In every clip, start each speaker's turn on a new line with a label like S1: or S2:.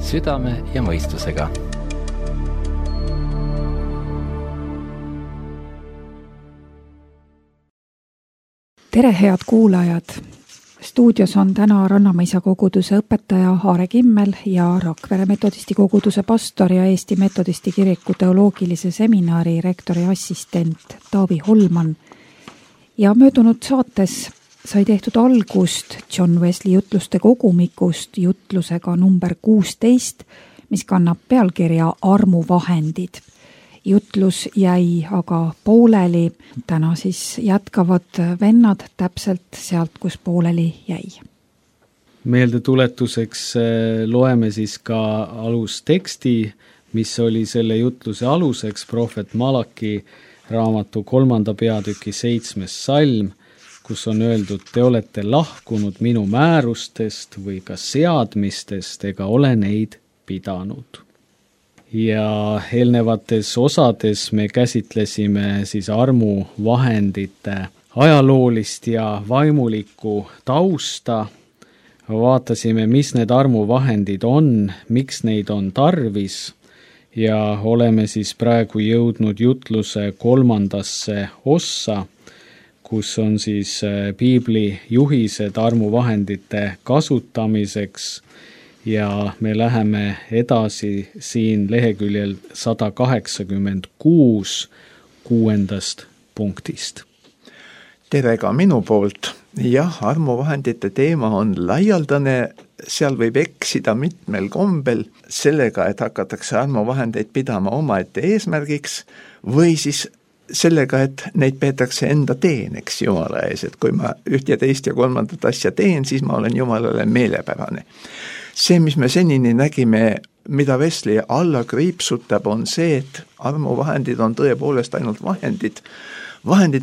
S1: südame ja mõistusega.
S2: Tere, head kuulajad! Stuudios on täna Rannamõisa koguduse õpetaja Aare Kimmel ja Rakvere metodisti koguduse pastor ja Eesti metodisti kiriku teoloogilise seminari rektori assistent Taavi Holman. Ja möödunud saates sai tehtud algust John Wesley jutluste kogumikust jutlusega number 16, mis kannab pealkirja Armuvahendid. Jutlus jäi aga pooleli, täna siis jätkavad vennad täpselt sealt, kus pooleli jäi.
S3: Meeldetuletuseks loeme siis ka alusteksti, mis oli selle jutluse aluseks, prohvet Malaki raamatu 3. peatüki 7. salm, kus on öeldud, te olete lahkunud minu määrustest või ka seadmistest ega ole neid pidanud. Ja eelnevates osades me käsitlesime siis armuvahendite ajaloolist ja vaimulikku tausta. Vaatasime, mis need armuvahendid on, miks neid on tarvis ja oleme siis praegu jõudnud jutluse 3. ossa, kus on siis piibli juhised armuvahendite kasutamiseks. Ja me läheme edasi siin leheküljel 186 6. punktist.
S4: Tere ka minu poolt. Jah, armuvahendite teema on laialdane, seal võib eksida mitmel kombel sellega, et hakatakse armuvahendeid pidama omaette eesmärgiks või siis sellega, et neid peetakse enda teeneks Jumala ees, et kui ma üht ja teist ja kolmandat asja teen, siis ma olen Jumalale meelepärane. See, mis me senini nägime, mida Wesley alla kriipsutab, on see, et armuvahendid on tõepoolest ainult vahendid,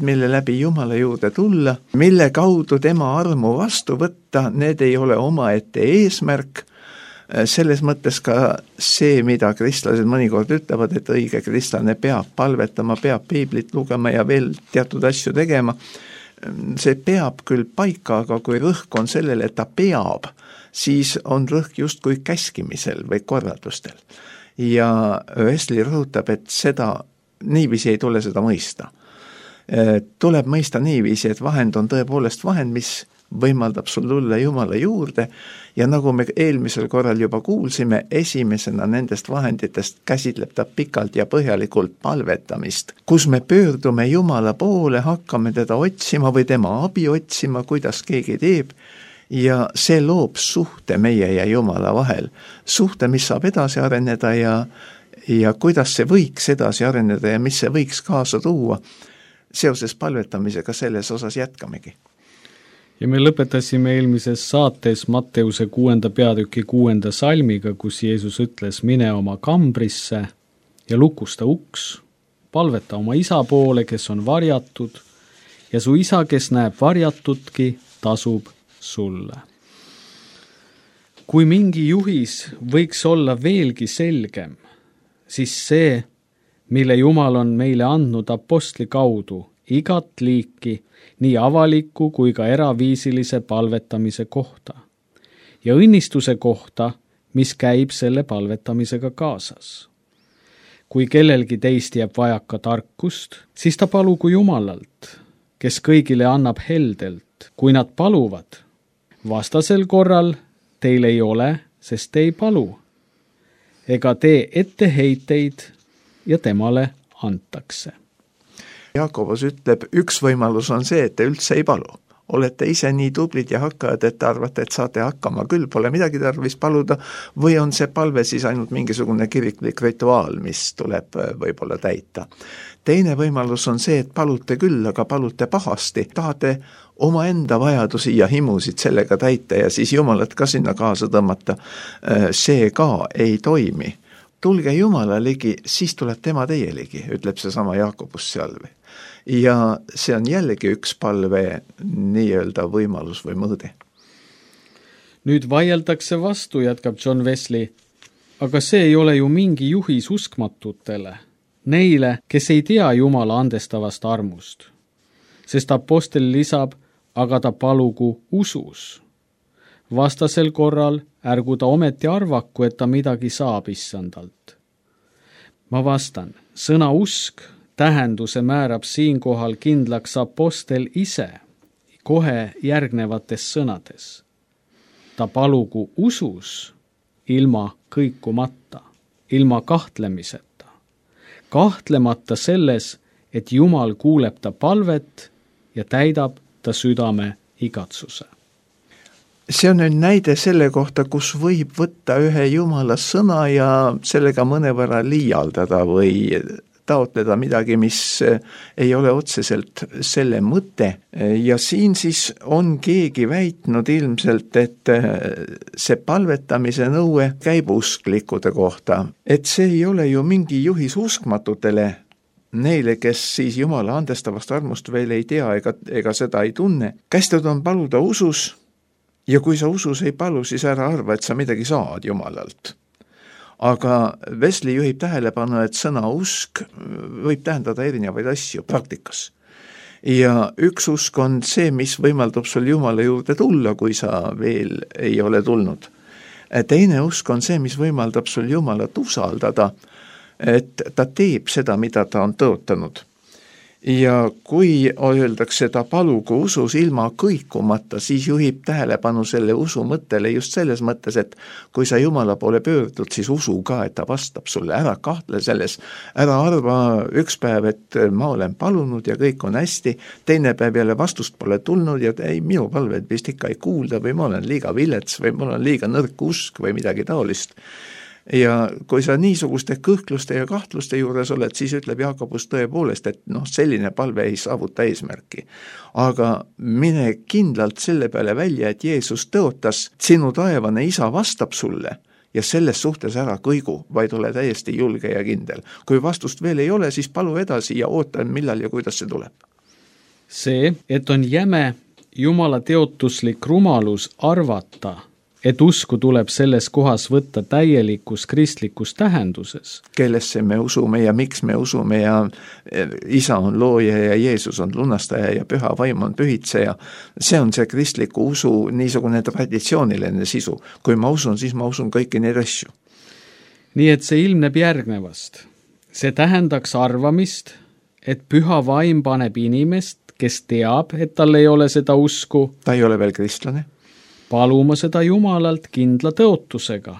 S4: mille läbi Jumala juurde tulla, mille kaudu tema armu vastu võtta, need ei ole omaette eesmärk. Selles mõttes ka see, mida kristlased mõnikord ütlevad, et õige kristlane peab palvetama, peab piiblit lugema ja veel teatud asju tegema. See peab küll paika, aga kui rõhk on sellele, et ta peab, siis on rõhk justkui käskimisel või korraldustel. Ja Wesley rõhutab, et niiviisi ei tule seda mõista. Tuleb mõista niiviisi, et vahend on tõepoolest vahend, mis võimaldab sul tulla Jumala juurde ja nagu me eelmisel korral juba kuulsime, esimesena nendest vahenditest käsitleb ta pikalt ja põhjalikult palvetamist, kus me pöördume Jumala poole, hakkame teda otsima või tema abi otsima, kuidas keegi teeb ja see loob suhte meie ja Jumala vahel. Suhte, mis saab edasi areneda ja kuidas see võiks edasi areneda ja mis see võiks kaasa tuua. Seoses palvetamisega selles osas jätkamegi.
S3: Ja me lõpetasime eelmises saates Matteuse 6. peatüki 6. salmiga, kus Jeesus ütles, mine oma kambrisse ja lukusta uks, palveta oma isa poole, kes on varjatud, ja su isa, kes näeb varjatutki, tasub sulle. Kui mingi juhis võiks olla veelgi selgem, siis see, mille Jumal on meile andnud apostli kaudu, igat liiki, nii avaliku kui ka eraviisilise palvetamise kohta ja õnnistuse kohta, mis käib selle palvetamisega kaasas. Kui kellelgi teist jääb vajaka tarkust, siis ta palugu Jumalalt, kes kõigile annab heldelt, kui nad paluvad. Vastasel korral teil ei ole, sest te ei palu. Ega tee etteheiteid ja temale antakse.
S4: Jaakobus ütleb, üks võimalus on see, et te üldse ei palu. Olete ise nii tublid ja hakkajad, et arvate, et saate hakkama küll, pole midagi tarvis paluda, või on see palve siis ainult mingisugune kiriklik rituaal, mis tuleb võib-olla täita. Teine võimalus on see, et palute küll, aga palute pahasti. Tahate oma enda vajadusi ja himusid sellega täita ja siis Jumalat ka sinna kaasa tõmmata. See ka ei toimi. Tulge Jumala ligi, siis tuleb tema teie ligi, ütleb see sama Jaakobus seal. Ja see on jällegi üks palve nii-öelda võimalus või mõõde.
S3: Nüüd vaieldakse vastu, jätkab John Wesley, aga see ei ole ju mingi juhis uskmatutele, neile, kes ei tea Jumala andestavast armust. Sest apostel lisab, aga ta palugu usus. vastasel korral ärgu ta ometi arvaku, et ta midagi saab issandalt. Ma vastan, sõna usk tähenduse määrab siinkohal kindlaks apostel ise kohe järgnevates sõnades. Ta palugu usus ilma kõikumata, ilma kahtlemiseta, kahtlemata selles, et Jumal kuuleb ta palvet ja täidab ta südame igatsuse.
S4: See on nüüd näide selle kohta, kus võib võtta ühe Jumala sõna ja sellega mõnevõrra liialdada või taotleda midagi, mis ei ole otseselt selle mõte. Ja siin siis on keegi väitnud ilmselt, et see palvetamise nõue käib usklikkude kohta. Et see ei ole ju mingi juhis uskmatutele, neile, kes siis Jumala andestavast armust veel ei tea ega seda ei tunne. Kästud on paluda usus, ja kui sa usus ei palu, siis ära arva, et sa midagi saad Jumalalt. Aga Wesley juhib tähelepanu, et sõna usk võib tähendada erinevaid asju praktikas. Ja üks usk on see, mis võimaldab sul Jumala juurde tulla, kui sa veel ei ole tulnud. Teine usk on see, mis võimaldab sul Jumalat usaldada, et ta teeb seda, mida ta on tõotanud. Ja kui öeldakse, ta palugu usus ilma kõikumata, siis juhib tähelepanu selle usu mõttele just selles mõttes, et kui sa Jumala poole pöördud, siis usu ka, et ta vastab sulle, ära kahtle selles, ära arva üks päev, et ma olen palunud ja kõik on hästi, teine päev jälle vastust pole tulnud ja ei, minu palved vist ikka ei kuulda või ma olen liiga vilets või mul on liiga nõrk usk või midagi taolist. Ja kui sa niisuguste kõhkluste ja kahtluste juures oled, siis ütleb Jaakobus tõepoolest, et selline palve ei saavuta eesmärki. Aga mine kindlalt selle peale välja, et Jeesus tõotas, sinu taevane isa vastab sulle ja selles suhtes ära kõigu, vaid ole täiesti julge ja kindel. Kui vastust veel ei ole, siis palu edasi ja oota, millal ja kuidas see tuleb.
S3: See, et on jäme Jumala teotuslik rumalus arvata, et usku tuleb selles kohas võtta täielikus kristlikus tähenduses.
S4: Kellesse me usume ja miks me usume ja isa on looja ja Jeesus on lunastaja ja püha vaim on pühitseja. See on see kristliku usu niisugune traditsiooniline sisu. Kui ma usun, siis ma usun kõiki neid asju.
S3: Nii et see ilmneb järgnevast. See tähendaks arvamist, et püha vaim paneb inimest, kes teab, et tal ei ole seda usku.
S4: Ta ei ole veel kristlane.
S3: Paluma seda Jumalalt kindla tõotusega,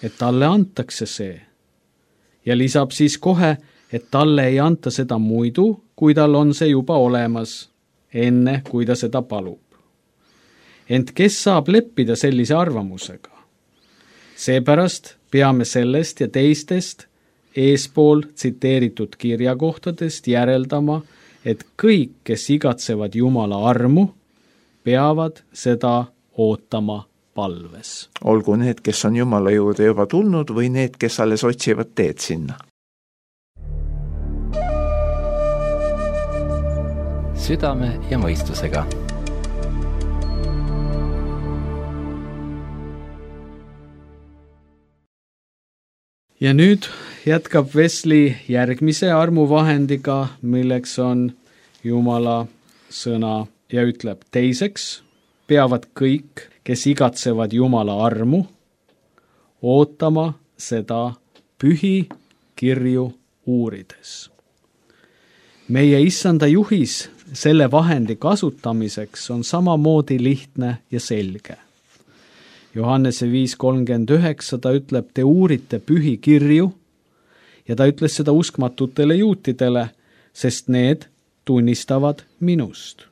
S3: et talle antakse see. Ja lisab siis kohe, et talle ei anta seda muidu, kui tal on see juba olemas, enne kui ta seda palub. Ent kes saab leppida sellise arvamusega? Seepärast peame sellest ja teistest eespool tsiteeritud kirjakohtadest järeldama, et kõik, kes igatsevad Jumala armu, peavad seda ootama palves.
S4: Olgu need, kes on Jumala juurde juba tulnud või need, kes alles otsivad teed sinna.
S1: Südame ja mõistusega.
S3: Ja nüüd jätkab Wesley järgmise armuvahendiga, milleks on Jumala sõna ja ütleb teiseks, peavad kõik, kes igatsevad Jumala armu, ootama seda pühi kirju uurides. Meie issanda juhis selle vahendi kasutamiseks on samamoodi lihtne ja selge. Johannese 5:39 ta ütleb, te uurite pühi kirju ja ta ütles seda uskmatutele juutidele, sest need tunnistavad minust.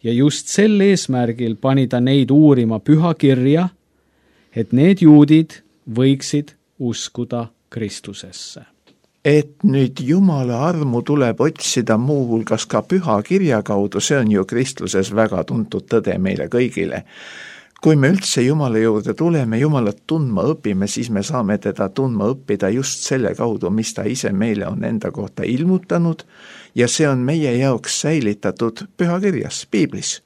S3: Ja just sel eesmärgil pani ta neid uurima püha kirja, et need juudid võiksid uskuda Kristusesse.
S4: Et nüüd Jumala armu tuleb otsida muuhulgas ka püha kirja kaudu, see on ju kristluses väga tuntud tõde meile kõigile. Kui me üldse Jumala juurde tuleme, Jumalat tundma õpime, siis me saame teda tundma õppida just selle kaudu, mis ta ise meile on enda kohta ilmutanud ja see on meie jaoks säilitatud pühakirjas, Piiblis.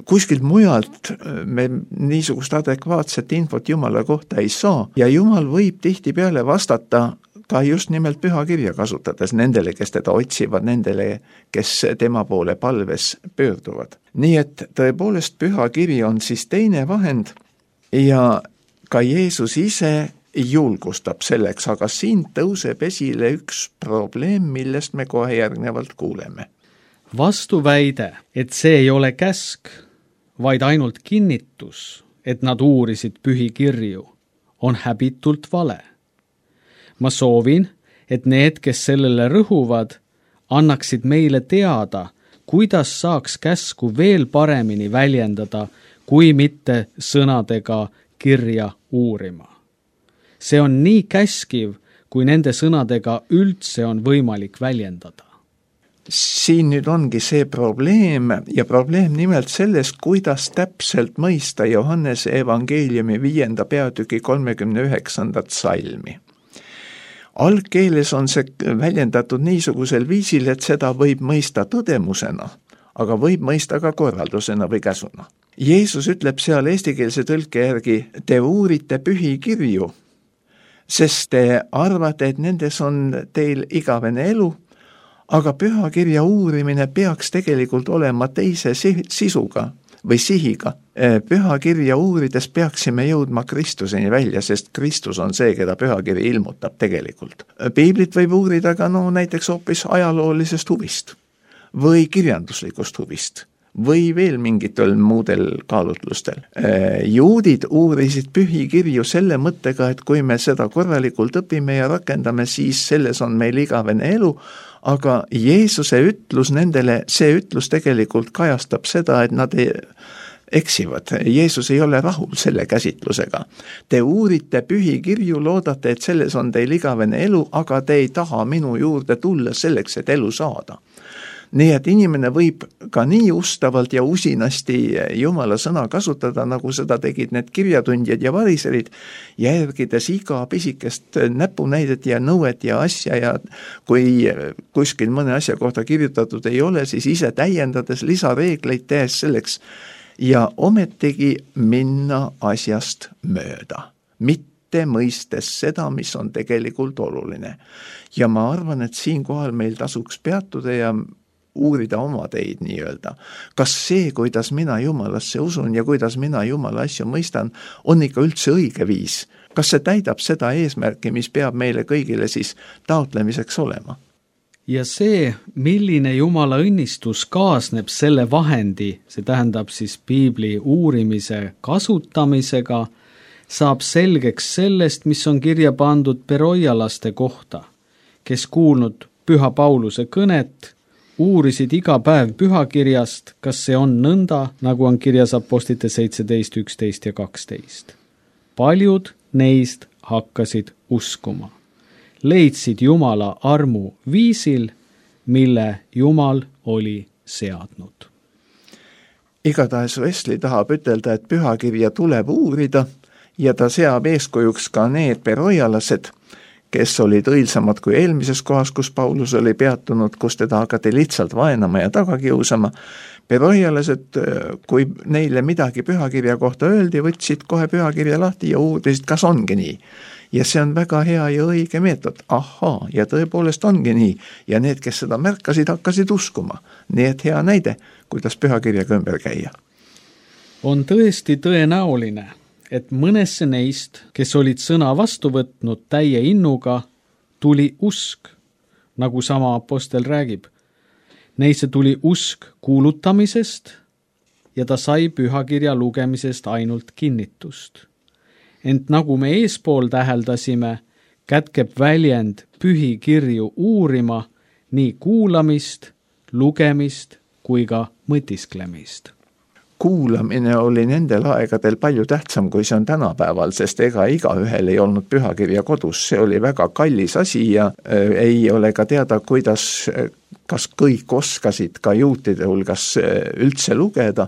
S4: Kuskilt mujalt me niisugust adekvaatset infot Jumala kohta ei saa ja Jumal võib tihtipeale vastata ka just nimelt pühakirja kasutades nendele, kes teda otsivad, nendele, kes tema poole palves pöörduvad. Nii et tõepoolest pühakiri on siis teine vahend ja ka Jeesus ise julgustab selleks, aga siin tõuseb esile üks probleem, millest me kohe järgnevalt kuuleme.
S3: Vastuväide, et see ei ole käsk, vaid ainult kinnitus, et nad uurisid pühikirju, on häbitult vale. Ma soovin, et need, kes sellele rõhuvad, annaksid meile teada, kuidas saaks käsku veel paremini väljendada, kui mitte sõnadega kirja uurima. See on nii käskiv, kui nende sõnadega üldse on võimalik väljendada.
S4: Siin nüüd ongi see probleem ja probleem nimelt sellest, kuidas täpselt mõista Johannese evangeeliumi 5. peatüki 39. salmi. Algkeeles on see väljendatud niisugusel viisil, et seda võib mõista tõdemusena, aga võib mõista ka korraldusena või käsuna. Jeesus ütleb seal eestikeelse tõlke järgi, te uurite pühikirju, sest te arvate, et nendes on teil igavene elu, aga pühakirja uurimine peaks tegelikult olema teise sisuga või sihiga. Pühakirja uurides peaksime jõudma Kristuseni välja, sest Kristus on see, keda pühakiri ilmutab tegelikult. Piiblit võib uurida ka näiteks hoopis ajaloolisest huvist või kirjanduslikust huvist või veel mingitel muudel kaalutlustel. Juudid uurisid pühikirju selle mõttega, et kui me seda korralikult õpime ja rakendame, siis selles on meil igavene elu, aga Jeesuse ütlus nendele, see ütlus tegelikult kajastab seda, et nad eksivad. Jeesus ei ole rahul selle käsitlusega. Te uurite pühikirju, loodate, et selles on teil igavene elu, aga te ei taha minu juurde tulla selleks, et elu saada. Nii et inimene võib ka nii ustavalt ja usinasti Jumala sõna kasutada, nagu seda tegid need kirjatundjad ja variserid, järgides iga pisikest näpunäidet ja nõuet ja asja ja kui kuskil mõne asja kohta kirjutatud ei ole, siis ise täiendades lisareegleid tehes selleks ja ometigi minna asjast mööda, mitte mõistes seda, mis on tegelikult oluline. Ja ma arvan, et siinkohal meil tasuks peatuda ja uurida oma teid nii-öelda. Kas see, kuidas mina Jumalasse usun ja kuidas mina Jumala asju mõistan, on ikka üldse õige viis? Kas see täidab seda eesmärki, mis peab meile kõigile siis taotlemiseks olema?
S3: Ja see, milline Jumala õnnistus kaasneb selle vahendi, see tähendab siis piibli uurimise kasutamisega, saab selgeks sellest, mis on kirja pandud beroialaste kohta, kes kuulnud Püha Pauluse kõnet, uurisid iga päev pühakirjast, kas see on nõnda, nagu on kirjas apostlite 17, 11 ja 12. Paljud neist hakkasid uskuma. Leidsid Jumala armu viisil, mille Jumal oli seadnud.
S4: Igatahes Wesley tahab ütelda, et pühakirja tuleb uurida ja ta seab eeskujuks ka need beroialased, kes olid õilsamad kui eelmises kohas, kus Paulus oli peatunud, kus teda hakati lihtsalt vaenama ja tagakiusama. Beroialased, kui neile midagi pühakirja kohta öeldi, võtsid kohe pühakirja lahti ja uurisid, kas ongi nii. Ja see on väga hea ja õige meetod. Ahaa, ja tõepoolest ongi nii. Ja need, kes seda märkasid, hakkasid uskuma. Nii et hea näide, kuidas pühakirjaga ümber käia.
S3: On tõesti tõenäoline, et mõnesse neist, kes olid sõna vastu võtnud täie innuga, tuli usk, nagu sama apostel räägib. Neisse tuli usk kuulutamisest ja ta sai pühakirja lugemisest ainult kinnitust. Ent nagu me eespool täheldasime, kätkeb väljend pühikirju uurima nii kuulamist, lugemist kui ka mõtisklemist.
S4: Kuulamine oli nendel aegadel palju tähtsam, kui see on tänapäeval, sest ega igaühel ei olnud pühakirja kodus. See oli väga kallis asi ja ei ole ka teada, kas kõik oskasid ka juutide hulgas üldse lugeda.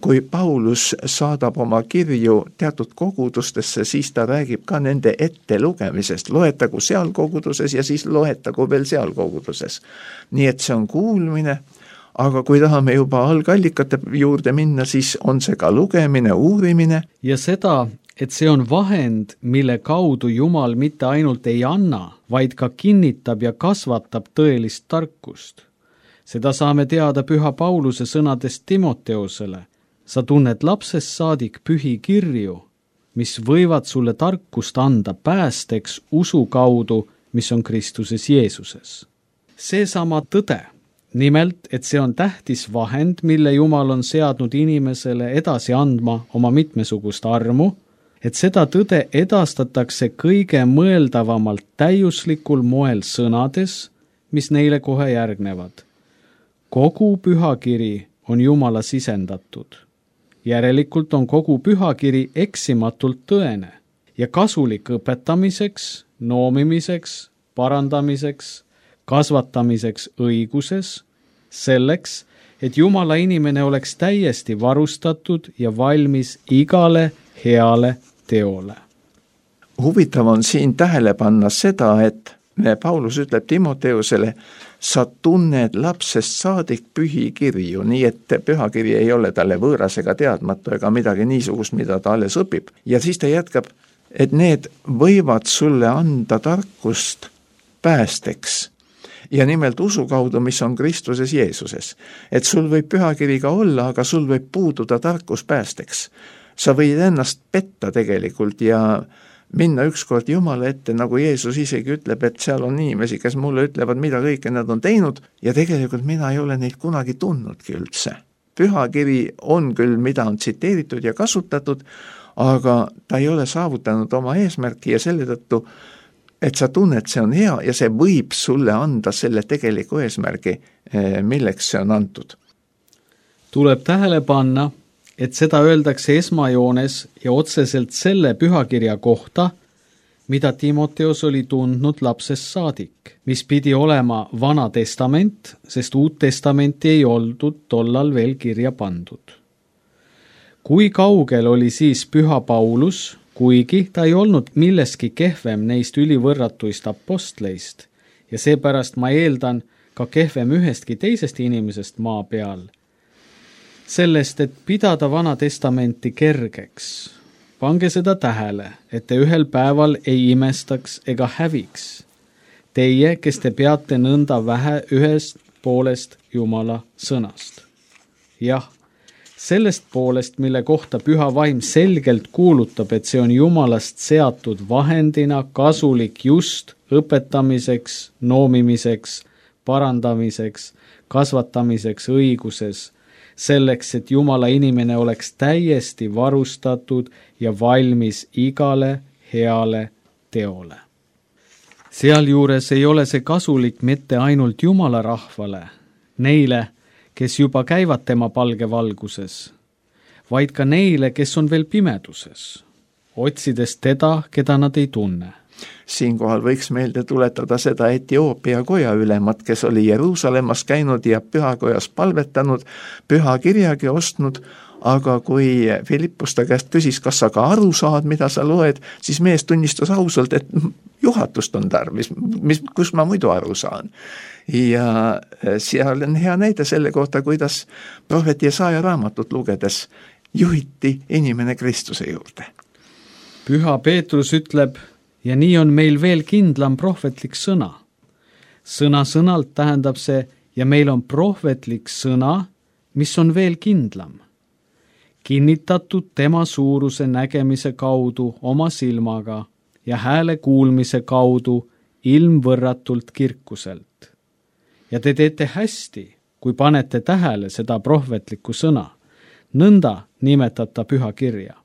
S4: Kui Paulus saadab oma kirju teatud kogudustesse, siis ta räägib ka nende ette lugemisest. Loetagu seal koguduses ja siis loetagu veel seal koguduses. Nii et see on kuulmine. Aga kui tahame juba algallikate juurde minna, siis on see ka lugemine, uurimine.
S3: Ja seda, et see on vahend, mille kaudu Jumal mitte ainult ei anna, vaid ka kinnitab ja kasvatab tõelist tarkust. Seda saame teada Püha Pauluse sõnadest Timoteosele. Sa tunned lapsest saadik pühi kirju, mis võivad sulle tarkust anda päästeks usu kaudu, mis on Kristuses Jeesuses. Seesama tõde, nimelt, et see on tähtis vahend, mille Jumal on seadnud inimesele edasi andma oma mitmesugust armu, et seda tõde edastatakse kõige mõeldavamalt täiuslikul moel sõnades, mis neile kohe järgnevad. Kogu pühakiri on Jumala sisendatud. Järelikult on kogu pühakiri eksimatult tõene ja kasulik õpetamiseks, noomimiseks, parandamiseks, kasvatamiseks õiguses, selleks, et Jumala inimene oleks täiesti varustatud ja valmis igale heale teole.
S4: Huvitav on siin tähele panna seda, et Paulus ütleb Timoteusele, sa tunned lapsest saadik pühi kirju, nii et pühakiri ei ole talle võõras ega teadmatu ega midagi niisugust, mida ta alles õpib. Ja siis ta jätkab, et need võivad sulle anda tarkust päästeks. Ja nimelt usu kaudu, mis on Kristuses Jeesuses. Et sul võib pühakiri ka olla, aga sul võib puududa tarkus päästeks. Sa võid ennast petta tegelikult ja minna ükskord Jumala ette, nagu Jeesus isegi ütleb, et seal on inimesi, kes mulle ütlevad, mida kõike nad on teinud ja tegelikult mina ei ole neid kunagi tundnudki üldse. Pühakiri on küll, mida on tsiteeritud ja kasutatud, aga ta ei ole saavutanud oma eesmärki ja selle tõttu, et sa tunned, see on hea ja see võib sulle anda selle tegeliku eesmärgi, milleks see on antud.
S3: Tuleb tähele panna, et seda öeldakse esmajoones ja otseselt selle pühakirja kohta, mida Timoteos oli tundnud lapsest saadik, mis pidi olema Vana Testament, sest Uut Testamenti ei oldud tollal veel kirja pandud. Kui kaugel oli siis Püha Paulus, kuigi ta ei olnud milleski kehvem neist ülivõrratuist apostleist ja seepärast ma eeldan ka kehvem ühestki teisest inimesest maa peal, sellest, et pidada Vana Testamenti kergeks. Pange seda tähele, et te ühel päeval ei imestaks ega häviks. Teie, kes te peate nõnda vähe ühest poolest Jumala sõnast. Jah, sellest poolest, mille kohta Püha Vaim selgelt kuulutab, et see on Jumalast seatud vahendina kasulik just õpetamiseks, noomimiseks, parandamiseks, kasvatamiseks õiguses, selleks, et Jumala inimene oleks täiesti varustatud ja valmis igale heale teole. Sealjuures ei ole see kasulik mitte ainult Jumala rahvale, neile, kes juba käivad tema palgevalguses, vaid ka neile, kes on veel pimeduses, otsides teda, keda nad ei tunne.
S4: Siinkohal võiks meelde tuletada seda Etioopia koja ülemat, kes oli Jeruusalemmas käinud ja pühakojas palvetanud, pühakirjagi ostnud, aga kui Filippus ta käest küsis, kas sa ka aru saad, mida sa loed, siis mees tunnistas ausalt, et juhatust on tarvis, kus ma muidu aru saan. Ja seal on hea näide selle kohta, kuidas prohvet Jesaja raamatut lugedes juhiti inimene Kristuse juurde.
S3: Püha Peetrus ütleb, ja nii on meil veel kindlam prohvetlik sõna. Sõna-sõnalt tähendab see, ja meil on prohvetlik sõna, mis on veel kindlam. Kinnitatud tema suuruse nägemise kaudu oma silmaga ja hääle kuulmise kaudu ilmvõrratult kirkuselt. Ja te teete hästi, kui panete tähele seda prohvetlikku sõna. Nõnda nimetata püha kirja.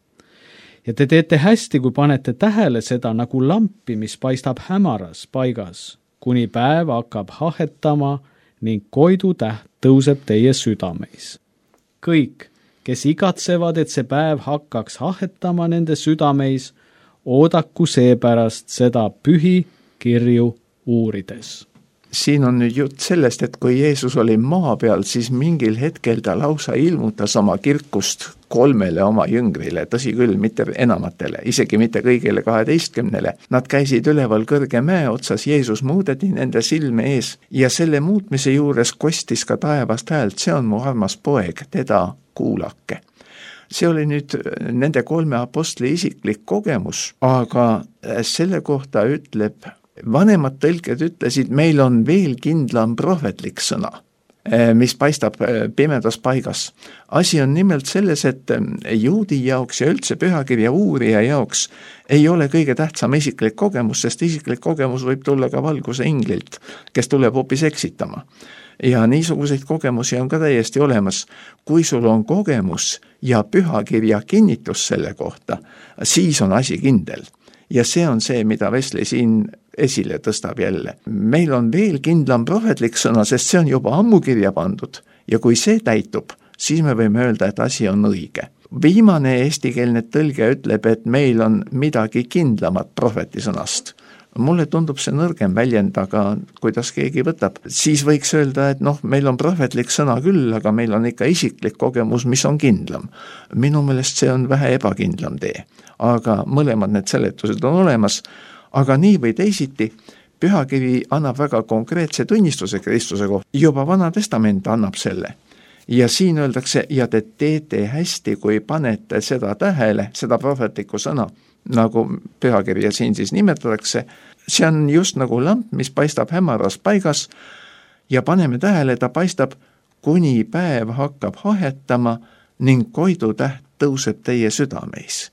S3: Ja te teete hästi, kui panete tähele seda nagu lampi, mis paistab hämaras paigas, kuni päev hakkab hahetama ning koidutäht tõuseb teie südameis. Kõik, kes igatsevad, et see päev hakkaks hahetama nende südameis, oodaku seepärast seda pühi kirju uurides.
S4: Siin on nüüd jutt sellest, et kui Jeesus oli maa peal, siis mingil hetkel ta lausa ilmutas oma kirkust 3 oma jüngrile, tõsi küll, mitte enamatele, isegi mitte kõigile 12. Nad käisid üleval kõrge mäe otsas, Jeesus muudeti nende silme ees ja selle muutmise juures kostis ka taevast häält, see on mu armas poeg, teda kuulake. See oli nüüd nende 3 apostli isiklik kogemus, aga selle kohta ütleb, vanemad tõlked ütlesid, meil on veel kindlam prohvetlik sõna, mis paistab pimedas paigas. Asi on nimelt selles, et juudi jaoks ja üldse pühakirja uurija jaoks ei ole kõige tähtsam isiklik kogemus, sest isiklik kogemus võib tulla ka valguse inglilt, kes tuleb hoopis eksitama. Ja niisuguseid kogemusi on ka täiesti olemas. Kui sul on kogemus ja pühakirja kinnitus selle kohta, siis on asi kindel. Ja see on see, mida Wesley siin esile tõstab jälle. Meil on veel kindlam prohvetlik sõna, sest see on juba ammu kirja pandud. Ja kui see täitub, siis me võime öelda, et asi on õige. Viimane eestikeelne tõlge ütleb, et meil on midagi kindlamat prohveti sõnast. Mulle tundub see nõrgem väljend, aga kuidas keegi võtab, siis võiks öelda, et meil on prohvetlik sõna küll, aga meil on ikka isiklik kogemus, mis on kindlam. Minu meelest see on vähe ebakindlam tee, aga mõlemad need seletused on olemas, aga nii või teisiti, pühakiri annab väga konkreetse tunnistuse Kristuse kohta, juba Vana Testament annab selle. Ja siin öeldakse, ja te teete hästi, kui panete seda tähele, seda prohvetlikku sõna, nagu pühakirja siin siis nimetatakse, see on just nagu lamp, mis paistab hämaras paigas ja paneme tähele, ta paistab, kuni päev hakkab hahetama ning koidutäht tõuseb teie südameis.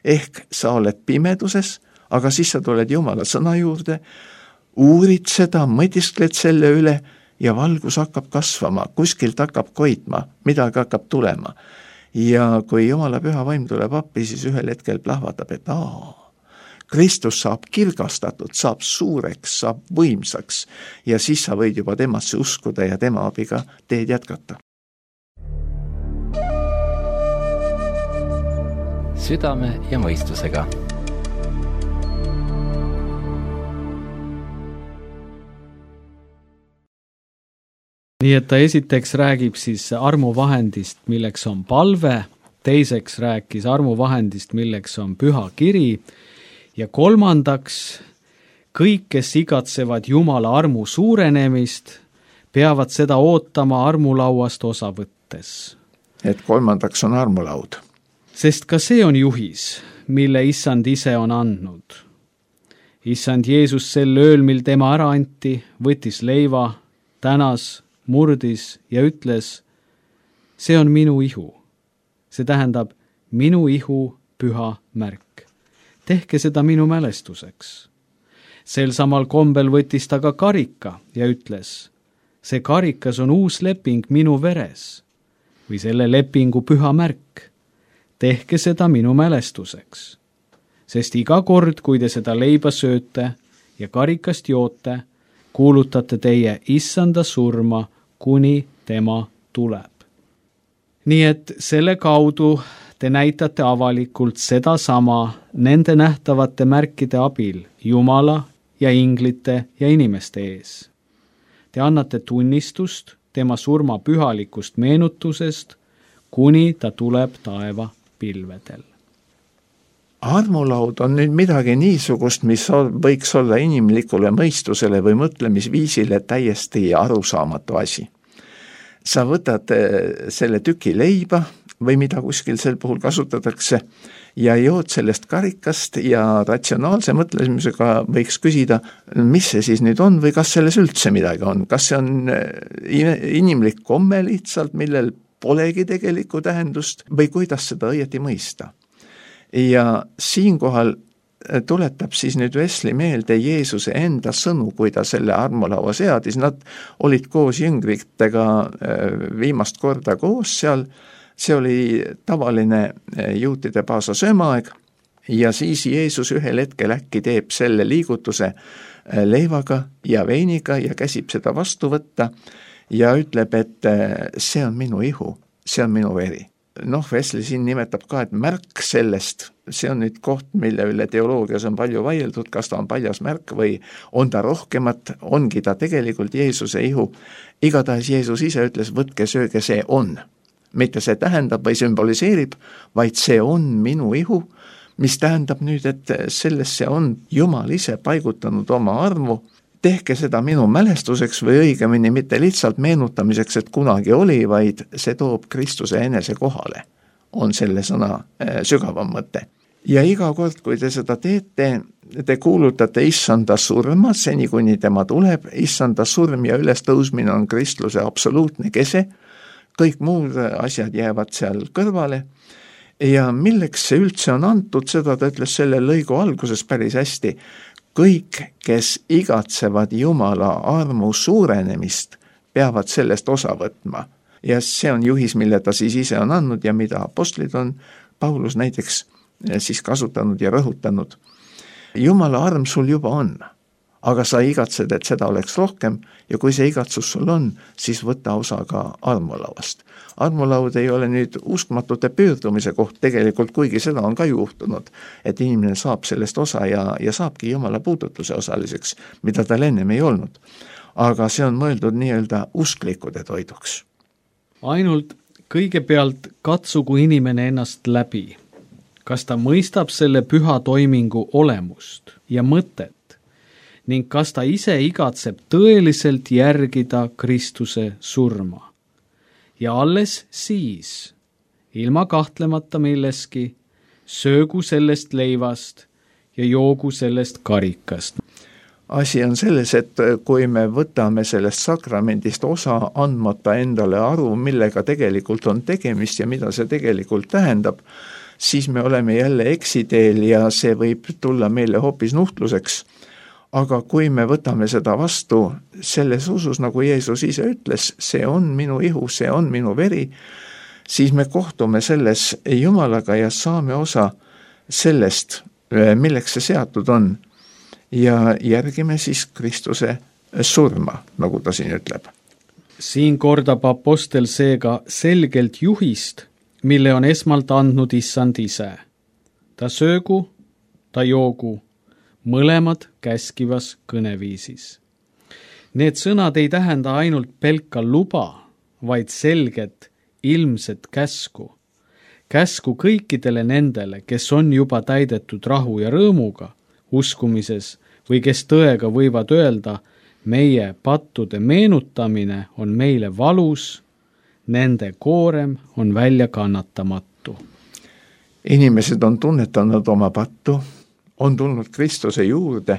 S4: Ehk sa oled pimeduses, aga siis sa tuled Jumala sõna juurde, uurid seda, mõtiskled selle üle ja valgus hakkab kasvama, kuskilt hakkab koitma, midagi hakkab tulema. Ja kui Jumala püha vaim tuleb appi, siis ühel hetkel plahvatab, et Kristus saab kirgastatud, saab suureks, saab võimsaks ja siis sa võid juba temasse uskuda ja tema abiga teed jätkata.
S1: Südame ja mõistusega.
S3: Nii et ta esiteks räägib siis armuvahendist, milleks on palve, teiseks rääkis armuvahendist, milleks on püha kiri ja kolmandaks, kõik, kes igatsevad Jumala armu suurenemist, peavad seda ootama armulauast osa võttes.
S4: Et kolmandaks on armulaud.
S3: Sest ka see on juhis, mille Issand ise on andnud. Issand Jeesus sel ööl, mil tema ära anti, võttis leiva, tänas, murdis ja ütles, see on minu ihu. See tähendab minu ihu püha märk. Tehke seda minu mälestuseks. Sel samal kombel võttis ta ka karika ja ütles, see karikas on uus leping minu veres või selle lepingu püha märk. Tehke seda minu mälestuseks. Sest iga kord, kui te seda leiba sööte ja karikast joote, kuulutate teie Issanda surma, kuni tema tuleb. Nii et selle kaudu te näitate avalikult seda sama nende nähtavate märkide abil Jumala ja inglite ja inimeste ees. Te annate tunnistust tema surma pühalikust meenutusest, kuni ta tuleb taeva pilvedel.
S4: Armulaud on nüüd midagi niisugust, mis võiks olla inimlikule mõistusele või mõtlemisviisile täiesti arusaamatu asi. Sa võtad selle tüki leiba või mida kuskil sel puhul kasutatakse ja jood sellest karikast ja ratsionaalse mõtlemisega võiks küsida, mis see siis nüüd on või kas selles üldse midagi on. Kas see on inimlik komme lihtsalt, millel polegi tegelikku tähendust või kuidas seda õieti mõista. Ja siinkohal tuletab siis nüüd Wesley meelde Jeesuse enda sõnu, kui ta selle armulaua seadis. Nad olid koos jüngritega viimast korda koos seal. See oli tavaline juutide paasa söömaaeg ja siis Jeesus ühel hetkel äkki teeb selle liigutuse leivaga ja veiniga ja käsib seda vastu võtta ja ütleb, et see on minu ihu, see on minu veri. Wesley siin nimetab ka, et märk sellest, see on nüüd koht, mille üle teoloogias on palju vaieldud, kas ta on paljas märk või on ta rohkemat, ongi ta tegelikult Jeesuse ihu. Igatahes Jeesus ise ütles, võtke sööge, see on. Mitte see tähendab või sümboliseerib, vaid see on minu ihu, mis tähendab nüüd, et sellesse on Jumal ise paigutanud oma armu. Tehke seda minu mälestuseks või õigemini mitte lihtsalt meenutamiseks, et kunagi oli, vaid see toob Kristuse enese kohale. on selle sõna sügavam mõte. Ja iga kord, kui te seda teete, te kuulutate issanda surma, seni kuni tema tuleb. Issanda surm ja ülestõusmine on kristluse absoluutne kese, kõik muud asjad jäävad seal kõrvale. Ja milleks see üldse on antud, seda ta ütles selle lõigu alguses päris hästi. Kõik, kes igatsevad Jumala armu suurenemist, peavad sellest osa võtma. Ja see on juhis, mille ta siis ise on andnud ja mida apostlid on, Paulus näiteks siis kasutanud ja rõhutanud. Jumala arm sul juba on, aga sa igatsed, et seda oleks rohkem ja kui see igatsus sul on, siis võta osa ka armulauast. Armulaud ei ole nüüd uskmatute pöördumise koht tegelikult, kuigi seda on ka juhtunud, et inimene saab sellest osa ja saabki Jumala puudutuse osaliseks, mida tal ennem ei olnud. Aga see on mõeldud nii-öelda usklikude toiduks.
S3: Ainult kõigepealt katsugu inimene ennast läbi. Kas ta mõistab selle püha toimingu olemust ja mõtet ning kas ta ise igatseb tõeliselt järgida Kristuse surma. Ja alles siis, ilma kahtlemata milleski, söögu sellest leivast ja joogu sellest karikast.
S4: Asi on selles, et kui me võtame sellest sakramendist osa andmata endale aru, millega tegelikult on tegemist ja mida see tegelikult tähendab, siis me oleme jälle eksiteel ja see võib tulla meile hoopis nuhtluseks. Aga kui me võtame seda vastu selles usus, nagu Jeesus ise ütles, see on minu ihu, see on minu veri, siis me kohtume selles Jumalaga ja saame osa sellest, milleks see seatud on. Ja järgime siis Kristuse surma, nagu ta siin ütleb.
S3: Siin kordab apostel seega selgelt juhist, mille on esmalt andnud issand ise. Ta söögu, ta joogu, mõlemad käskivas kõneviisis. Need sõnad ei tähenda ainult pelka luba, vaid selget, ilmset käsku. Käsku kõikidele nendele, kes on juba täidetud rahu ja rõõmuga, uskumises või kes tõega võivad öelda, meie pattude meenutamine on meile valus, nende koorem on välja kannatamatu.
S4: Inimesed on tunnetanud oma pattu, on tulnud Kristuse juurde,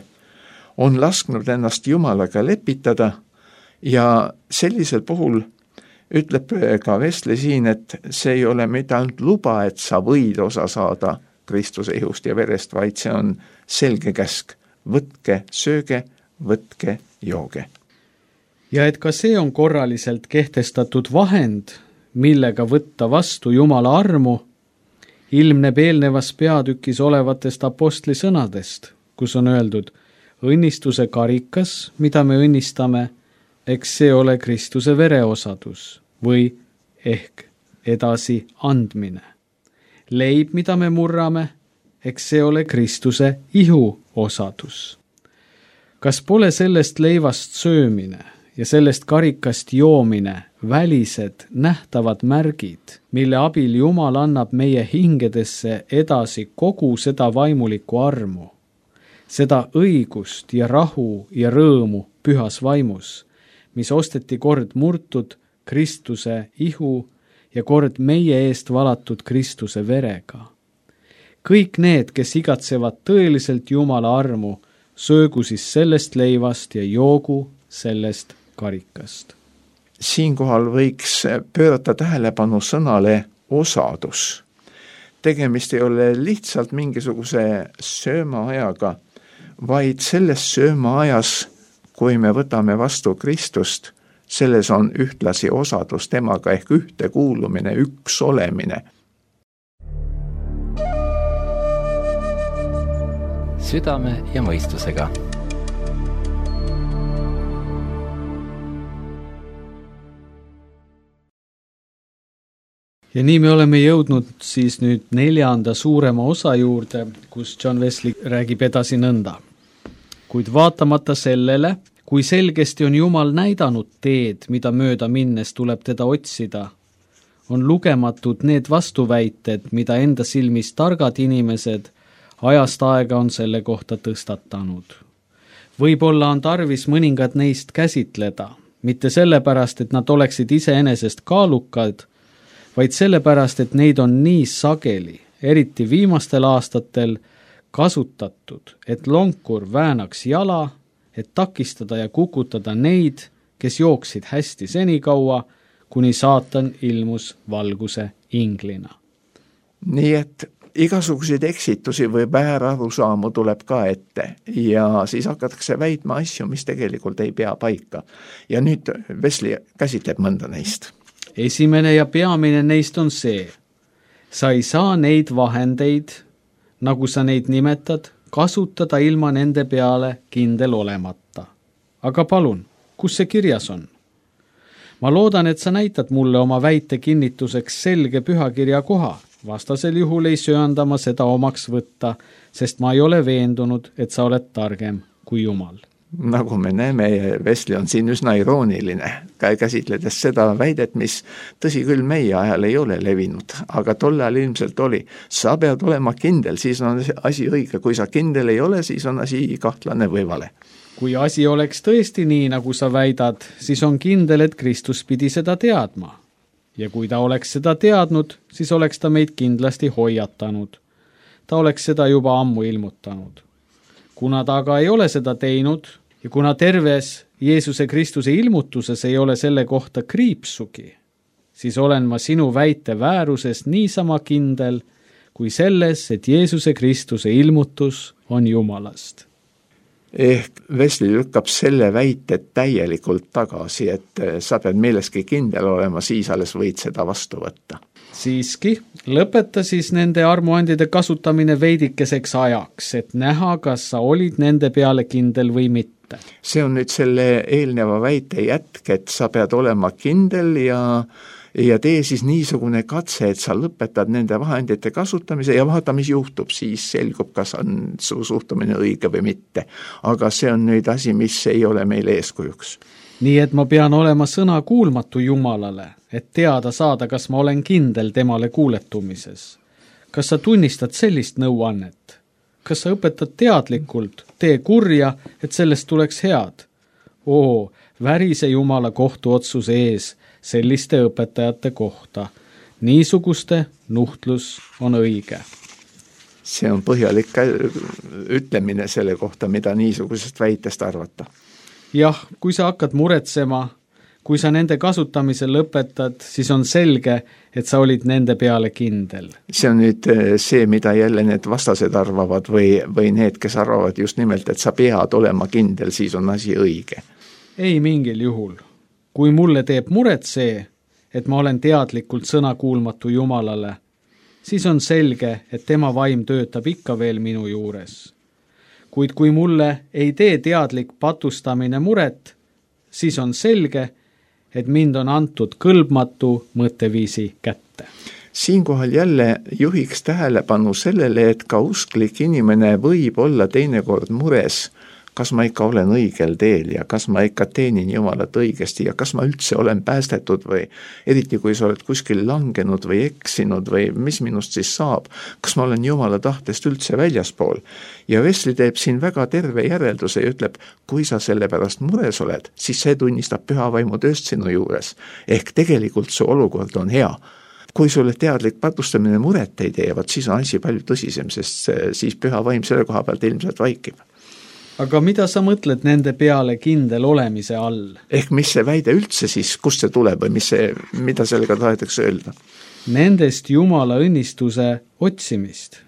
S4: on lasknud ennast Jumalaga lepitada ja sellisel puhul ütleb ka Vestle siin, et see ei ole mitte ainult luba, et sa võid osa saada Kristuse ihust ja verest, vaid see on selge käsk. Võtke, sööge, võtke, jooge.
S3: Ja et ka see on korraliselt kehtestatud vahend, millega võtta vastu Jumala armu, ilmneb eelnevas peatükis olevatest apostli sõnadest, kus on öeldud, õnnistuse karikas, mida me õnnistame, eks see ole Kristuse vereosadus või ehk edasi andmine. Leib, mida me murrame, eks see ole Kristuse ihu osadus. Kas pole sellest leivast söömine ja sellest karikast joomine välised nähtavad märgid, mille abil Jumal annab meie hingedesse edasi kogu seda vaimulikku armu, seda õigust ja rahu ja rõõmu pühas vaimus, mis osteti kord murtud Kristuse ihu ja kord meie eest valatud Kristuse verega. Kõik need, kes igatsevad tõeliselt Jumala armu, söögu siis sellest leivast ja joogu sellest karikast.
S4: Siinkohal võiks pöörata tähelepanu sõnale osadus. Tegemist ei ole lihtsalt mingisuguse söömaajaga, vaid selles söömaajas, kui me võtame vastu Kristust, selles on ühtlasi osadus temaga ehk ühtekuulumine, üks olemine.
S1: Südame ja mõistusega.
S3: Ja nii me oleme jõudnud siis nüüd 4. suurema osa juurde, kus John Wesley räägib edasi nõnda. Kuid vaatamata sellele, kui selgesti on Jumal näidanud teed, mida mööda minnes tuleb teda otsida, on lugematud need vastuväited, mida enda silmis targad inimesed ajast aega on selle kohta tõstatanud. Võib-olla on tarvis mõningad neist käsitleda, mitte sellepärast, et nad oleksid iseenesest kaalukad, vaid sellepärast, et neid on nii sageli, eriti viimastel aastatel, kasutatud, et lonkur väänaks jala, et takistada ja kukutada neid, kes jooksid hästi senikaua, kuni saatan ilmus valguse inglina.
S4: Nii et igasuguseid eksitusi või väärarusaamu tuleb ka ette ja siis hakatakse väitma asju, mis tegelikult ei pea paika. Ja nüüd Wesley käsitleb mõnda neist.
S3: Esimene ja peamine neist on see. Sa ei saa neid vahendeid, nagu sa neid nimetad, kasutada ilma nende peale kindel olemata. Aga palun, kus see kirjas on? Ma loodan, et sa näitad mulle oma väite kinnituseks selge pühakirja koha. Vastasel juhul ei söanda ma seda omaks võtta, sest ma ei ole veendunud, et sa oled targem kui Jumal.
S4: Nagu me näeme, Wesley on siin üsna irooniline, käsitledes seda väidet, mis tõsi küll meie ajal ei ole levinud, aga tol ajal ilmselt oli. Sa pead olema kindel, siis on asi õige. Kui sa kindel ei ole, siis on asi kahtlane või vale.
S3: Kui asi oleks tõesti nii, nagu sa väidad, siis on kindel, et Kristus pidi seda teadma. Ja kui ta oleks seda teadnud, siis oleks ta meid kindlasti hoiatanud. Ta oleks seda juba ammu ilmutanud. Kuna ta aga ei ole seda teinud ja kuna terves Jeesuse Kristuse ilmutuses ei ole selle kohta kriipsugi, siis olen ma sinu väite vääruses niisama kindel kui selles, et Jeesuse Kristuse ilmutus on Jumalast.
S4: Ehk Wesley lükkab selle väite täielikult tagasi, et sa pead milleski kindel olema, siis alles võid seda vastu võtta.
S3: Siiski, lõpeta siis nende armuandide kasutamine veidikeseks ajaks, et näha, kas sa olid nende peale kindel või mitte.
S4: See on nüüd selle eelneva väite jätk, et sa pead olema kindel ja tee siis niisugune katse, et sa lõpetad nende vahendite kasutamise ja vaata, mis juhtub, siis selgub, kas on su suhtumine õige või mitte. Aga see on nüüd asi, mis ei ole meil eeskujuks.
S3: Nii et ma pean olema sõna kuulmatu Jumalale, et teada saada, kas ma olen kindel temale kuuletumises. Kas sa tunnistad sellist nõuannet? Kas sa õpetad teadlikult, tee kurja, et sellest tuleks head? Värise Jumala kohtuotsuse ees selliste õpetajate kohta. Niisuguste nuhtlus on õige.
S4: See on põhjalik ütlemine selle kohta, mida niisugusest väitest arvata.
S3: Jah, kui sa hakkad muretsema, kui sa nende kasutamise lõpetad, siis on selge, et sa olid nende peale kindel.
S4: See on nüüd see, mida jälle need vastased arvavad või need, kes arvavad just nimelt, et sa pead olema kindel, siis on asi õige.
S3: Ei mingil juhul. Kui mulle teeb muret see, et ma olen teadlikult sõnakuulmatu Jumalale, siis on selge, et tema vaim töötab ikka veel minu juures. Kuid kui mulle ei tee teadlik patustamine muret, siis on selge, et mind on antud kõlbmatu mõtteviisi kätte.
S4: Siinkohal jälle juhiks tähelepanu sellele, et ka usklik inimene võib olla teinekord mures, kas ma ikka olen õigel teel ja kas ma ikka teenin Jumalat õigesti ja kas ma üldse olen päästetud või eriti kui sa oled kuskil langenud või eksinud või mis minust siis saab, kas ma olen Jumala tahtest üldse väljaspool. Ja Wesley teeb siin väga terve järelduse ja ütleb, kui sa selle pärast mures oled, siis see tunnistab püha vaimu tööst sinu juures. Ehk tegelikult su olukord on hea. Kui sulle teadlik patustamine muret ei teevad, siis on asi palju tõsisem, sest siis püha vaim selle koha pealt ilmselt vaikib.
S3: Aga mida sa mõtled nende peale kindel olemise all?
S4: Ehk mis see väide üldse siis, kust see tuleb või mida sellega tahetakse öelda?
S3: Nendest Jumala õnnistuse otsimist,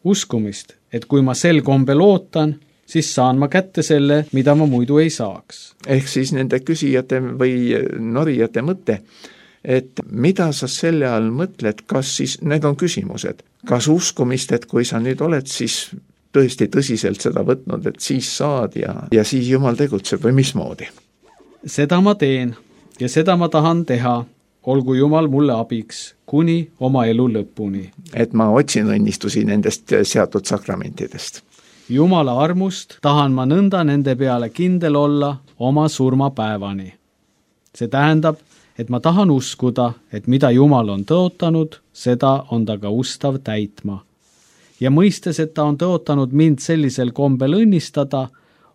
S3: uskumist, et kui ma sel kombel ootan, siis saan ma kätte selle, mida ma muidu ei saaks.
S4: Ehk siis nende küsijate või norijate mõte, et mida sa selle all mõtled, kas siis, need on küsimused, kas uskumist, et kui sa nüüd oled siis tõesti tõsiselt seda võtnud, et siis saad ja siis Jumal tegutseb või mismoodi?
S3: Seda ma teen ja seda ma tahan teha, olgu Jumal mulle abiks kuni oma elu lõpuni.
S4: Et ma otsin õnnistusi nendest seatud sakramentidest.
S3: Jumala armust tahan ma nõnda nende peale kindel olla oma surmapäevani. See tähendab, et ma tahan uskuda, et mida Jumal on tõotanud, seda on ta ka ustav täitma. Ja mõistes, et ta on tõotanud mind sellisel kombel õnnistada,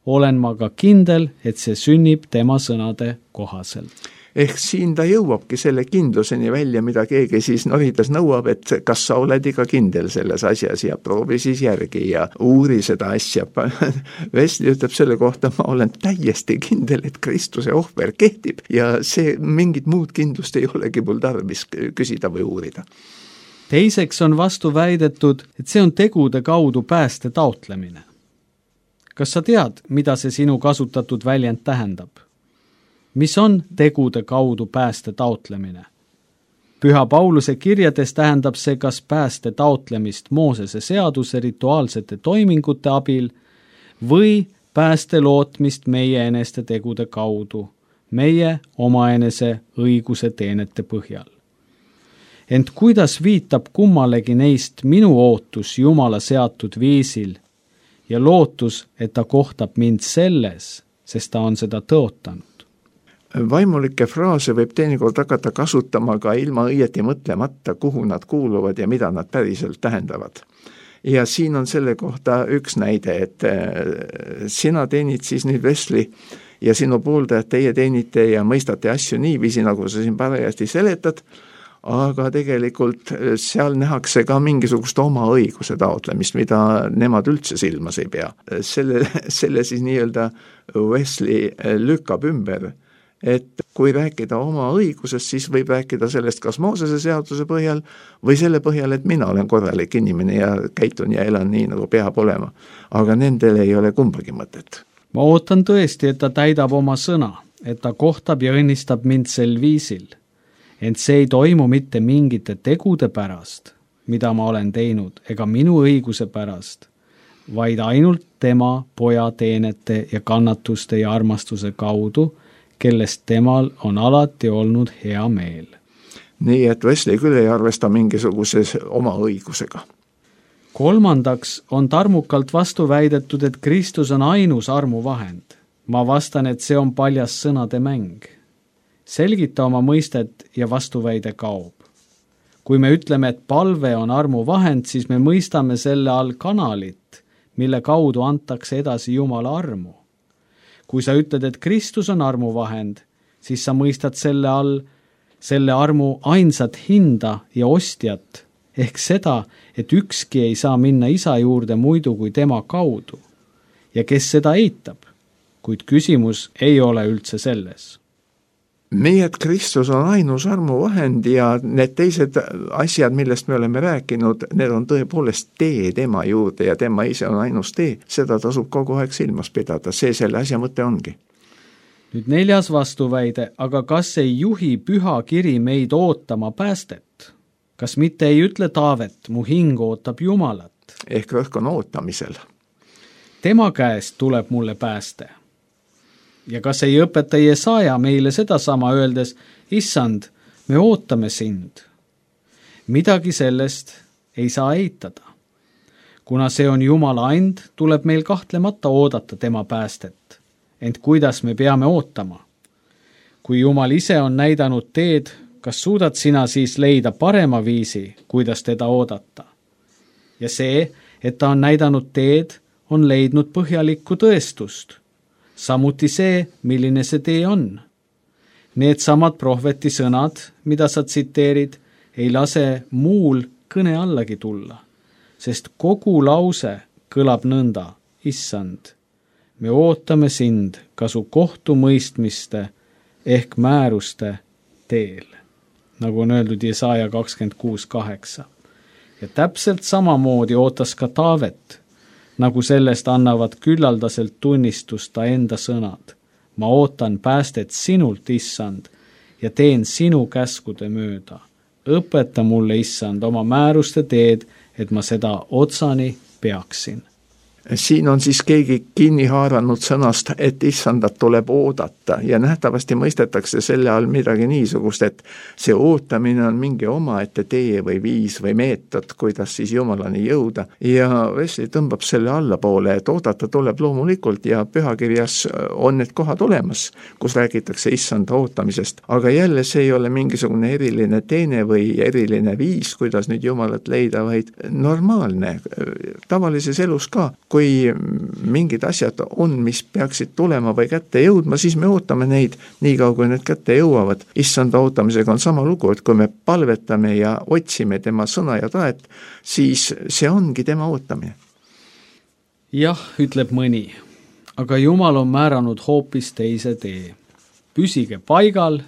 S3: olen ma ka kindel, et see sünnib tema sõnade kohaselt.
S4: ehk siin ta jõuabki selle kindluseni välja, mida keegi siis norides nõuab, et kas sa oled ikka kindel selles asjas ja proovi siis järgi ja uuri seda asja. Wesley ütleb selle kohta, ma olen täiesti kindel, et Kristuse ohver kehtib ja see mingit muud kindlust ei olegi mul tarvis küsida või uurida.
S3: Teiseks on vastu väidetud, et see on tegude kaudu pääste taotlemine. Kas sa tead, mida see sinu kasutatud väljend tähendab? Mis on tegude kaudu pääste taotlemine? Püha Pauluse kirjades tähendab see kas pääste taotlemist Moosese seaduse rituaalsete toimingute abil või pääste lootmist meie eneste tegude kaudu, meie omaenese õiguse teenete põhjal. Ent kuidas viitab kummalegi neist minu ootus Jumala seatud viisil ja lootus, et ta kohtab mind selles, sest ta on seda tõotanud?
S4: Vaimulikke fraase võib teinekord hakata kasutama ka ilma õieti mõtlemata, kuhu nad kuuluvad ja mida nad päriselt tähendavad. Ja siin on selle kohta üks näide, et sina teenid siis nüüd Wesley ja sinu pooldajad, teie teenite ja mõistate asju niiviisi, nagu sa siin parajasti seletad, aga tegelikult seal nähakse ka mingisugust oma õiguse taotlemist, mida nemad üldse silmas ei pea. Selle siis nii-öelda Wesley lükkab ümber, et kui rääkida oma õigusest, siis võib rääkida sellest kas Moosese seaduse põhjal või selle põhjal, et mina olen korralik inimene ja käitun ja elan nii, nagu peab olema. Aga nendel ei ole kumbagi mõtet.
S3: Ma ootan tõesti, et ta täidab oma sõna, et ta kohtab ja õnnistab mind sel viisil. Ent see ei toimu mitte mingite tegude pärast, mida ma olen teinud, ega minu õiguse pärast, vaid ainult tema poja teenete ja kannatuste ja armastuse kaudu, kellest temal on alati olnud hea meel.
S4: Nii, et Wesley küll ei arvesta mingisuguses oma õigusega.
S3: Kolmandaks on tarmukalt vastu väidetud, et Kristus on ainus armuvahend. Ma vastan, et see on paljas sõnade mäng. Selgita oma mõistet ja vastuväide kaob. Kui me ütleme, et palve on armuvahend, siis me mõistame selle all kanalit, mille kaudu antakse edasi Jumala armu. Kui sa ütled, et Kristus on armuvahend, siis sa mõistad selle all selle armu ainsat hinda ja ostjat, ehk seda, et ükski ei saa minna isa juurde muidu kui tema kaudu. Ja kes seda eitab? Kuid küsimus ei ole üldse selles.
S4: Nii, et Kristus on ainus armuvahend ja need teised asjad, millest me oleme rääkinud, need on tõepoolest tee tema juurde ja tema ise on ainus tee. Seda tasub kogu aeg silmas pidada, see selle asja mõte ongi.
S3: Nüüd 4. vastuväide, aga kas ei juhi püha kiri meid ootama päästet? Kas mitte ei ütle Taavet, mu hing ootab Jumalat?
S4: Ehk rõhk on ootamisel.
S3: Tema käest tuleb mulle pääste. Ja kas ei õpeta Jesaja meile sedasama öeldes, issand, me ootame sind. Midagi sellest ei saa eitada. Kuna see on Jumala and, tuleb meil kahtlemata oodata tema päästet. Ent kuidas me peame ootama? Kui Jumal ise on näidanud teed, kas suudad sina siis leida parema viisi, kuidas teda oodata? Ja see, et ta on näidanud teed, on leidnud põhjalikku tõestust. Samuti see, milline see tee on. Need samad prohveti sõnad, mida sa tsiteerid, ei lase muul kõne allagi tulla, sest kogu lause kõlab nõnda, issand, me ootame sind ka su kohtumõistmiste ehk määruste teel, nagu on öeldud Jesaja 26:8. Ja täpselt samamoodi ootas ka Taavet, nagu sellest annavad küllaldaselt tunnistust ta enda sõnad. Ma ootan päästet sinult, issand, ja teen sinu käskude mööda. Õpeta mulle, issand, oma määruste teed, et ma seda otsani peaksin.
S4: Siin on siis keegi kinni haaranud sõnast, et issandat tuleb oodata ja nähtavasti mõistetakse selle all midagi niisugust, et see ootamine on mingi omaette tee või viis või meetod, kuidas siis Jumalani jõuda. Ja Wesley tõmbab selle allapoole, et oodata tuleb loomulikult ja pühakirjas on need kohad olemas, kus räägitakse issanda ootamisest. Aga jälle see ei ole mingisugune eriline teene või eriline viis, kuidas nüüd Jumalat leida, vaid normaalne, tavalises elus ka. Kui kui mingid asjad on, mis peaksid tulema või kätte jõudma, siis me ootame neid nii kaua, kui need kätte jõuavad. Issanda ootamisega on sama lugu, et kui me palvetame ja otsime tema sõna ja tahet, siis see ongi tema ootamine.
S3: Jah, ütleb mõni, aga Jumal on määranud hoopis teise tee. Püsige paigal,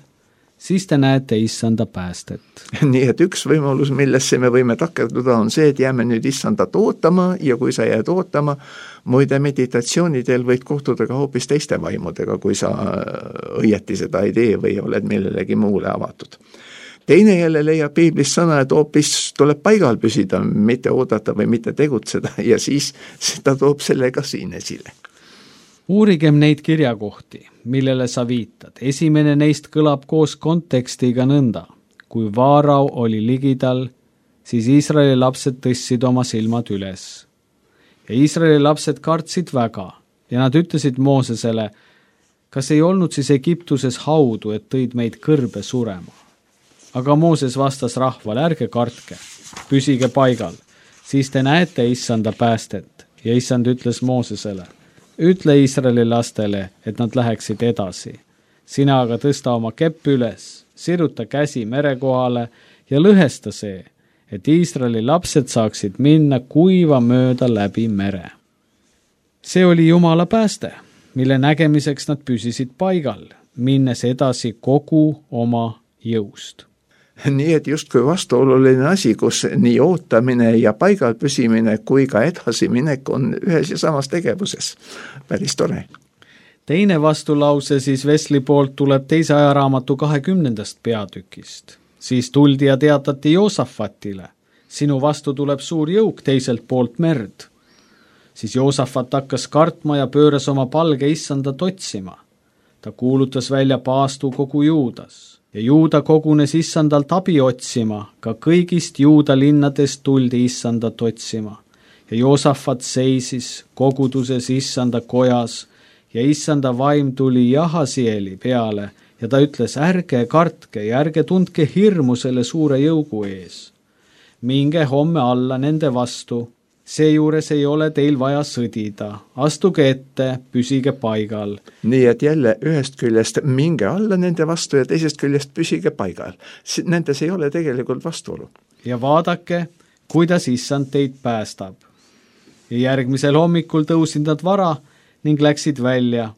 S3: siis te näete Issanda päästet.
S4: Nii et üks võimalus, millesse me võime takerduda, on see, et jääme nüüd Issandat ootama ja kui sa jääd ootama, muide meditatsioonidel võid kohtuda ka hoopis teiste vaimudega, kui sa õieti seda ei tee või oled millelegi muule avatud. Teine jälle leiab piiblist sõna, et hoopis tuleb paigal püsida, mitte oodata või mitte tegutseda ja siis seda toob selle ka siin esile.
S3: Uurigem neid kirjakohti, millele sa viitad. Esimene neist kõlab koos kontekstiga nõnda. Kui Vaarau oli ligidal, siis Iisraeli lapsed tõstsid oma silmad üles. Ja Iisraeli lapsed kartsid väga ja nad ütlesid Moosesele, kas ei olnud siis Egiptuses haudu, et tõid meid kõrbe surema. Aga Mooses vastas rahvale, ärge kartke, püsige paigal, siis te näete Issanda päästet. Ja Issand ütles Moosesele, ütle Iisraeli lastele, et nad läheksid edasi. Sina aga tõsta oma kepp üles, siruta käsi mere kohale ja lõhesta see, et Iisraeli lapsed saaksid minna kuiva mööda läbi mere. See oli Jumala pääste, mille nägemiseks nad püsisid paigal, minnes edasi kogu oma jõust.
S4: Nii et justkui vastuoluline asi, kus nii ootamine ja paigal püsimine kui ka edasiminek on ühes ja samas tegevuses. Päris tore.
S3: Teine vastulause siis Vesli poolt tuleb teise ajaraamatu 20. peatükist. Siis tuldi ja teatati Joosafatile. Sinu vastu tuleb suur jõuk teiselt poolt merd. Siis Joosafat hakkas kartma ja pööras oma palge Issandat otsima. Ta kuulutas välja paastu kogu Juudas. Ja Juuda kogunes Issandalt abi otsima, ka kõigist Juuda linnadest tuldi Issandat otsima. Ja Joosafat seisis koguduses Issanda kojas ja Issanda vaim tuli Jahasieli peale ja ta ütles, ärge kartke ja ärge tundke hirmu selle suure jõugu ees. Minge homme alla nende vastu, seejuures ei ole teil vaja sõdida, astuge ette, püsige paigal.
S4: Nii et jälle ühest küljest minge alla nende vastu ja teisest küljest püsige paigal. Nendes ei ole tegelikult vastuolu.
S3: Ja vaadake, kuidas Issand teid päästab. Ja järgmisel hommikul tõusid nad vara ning läksid välja.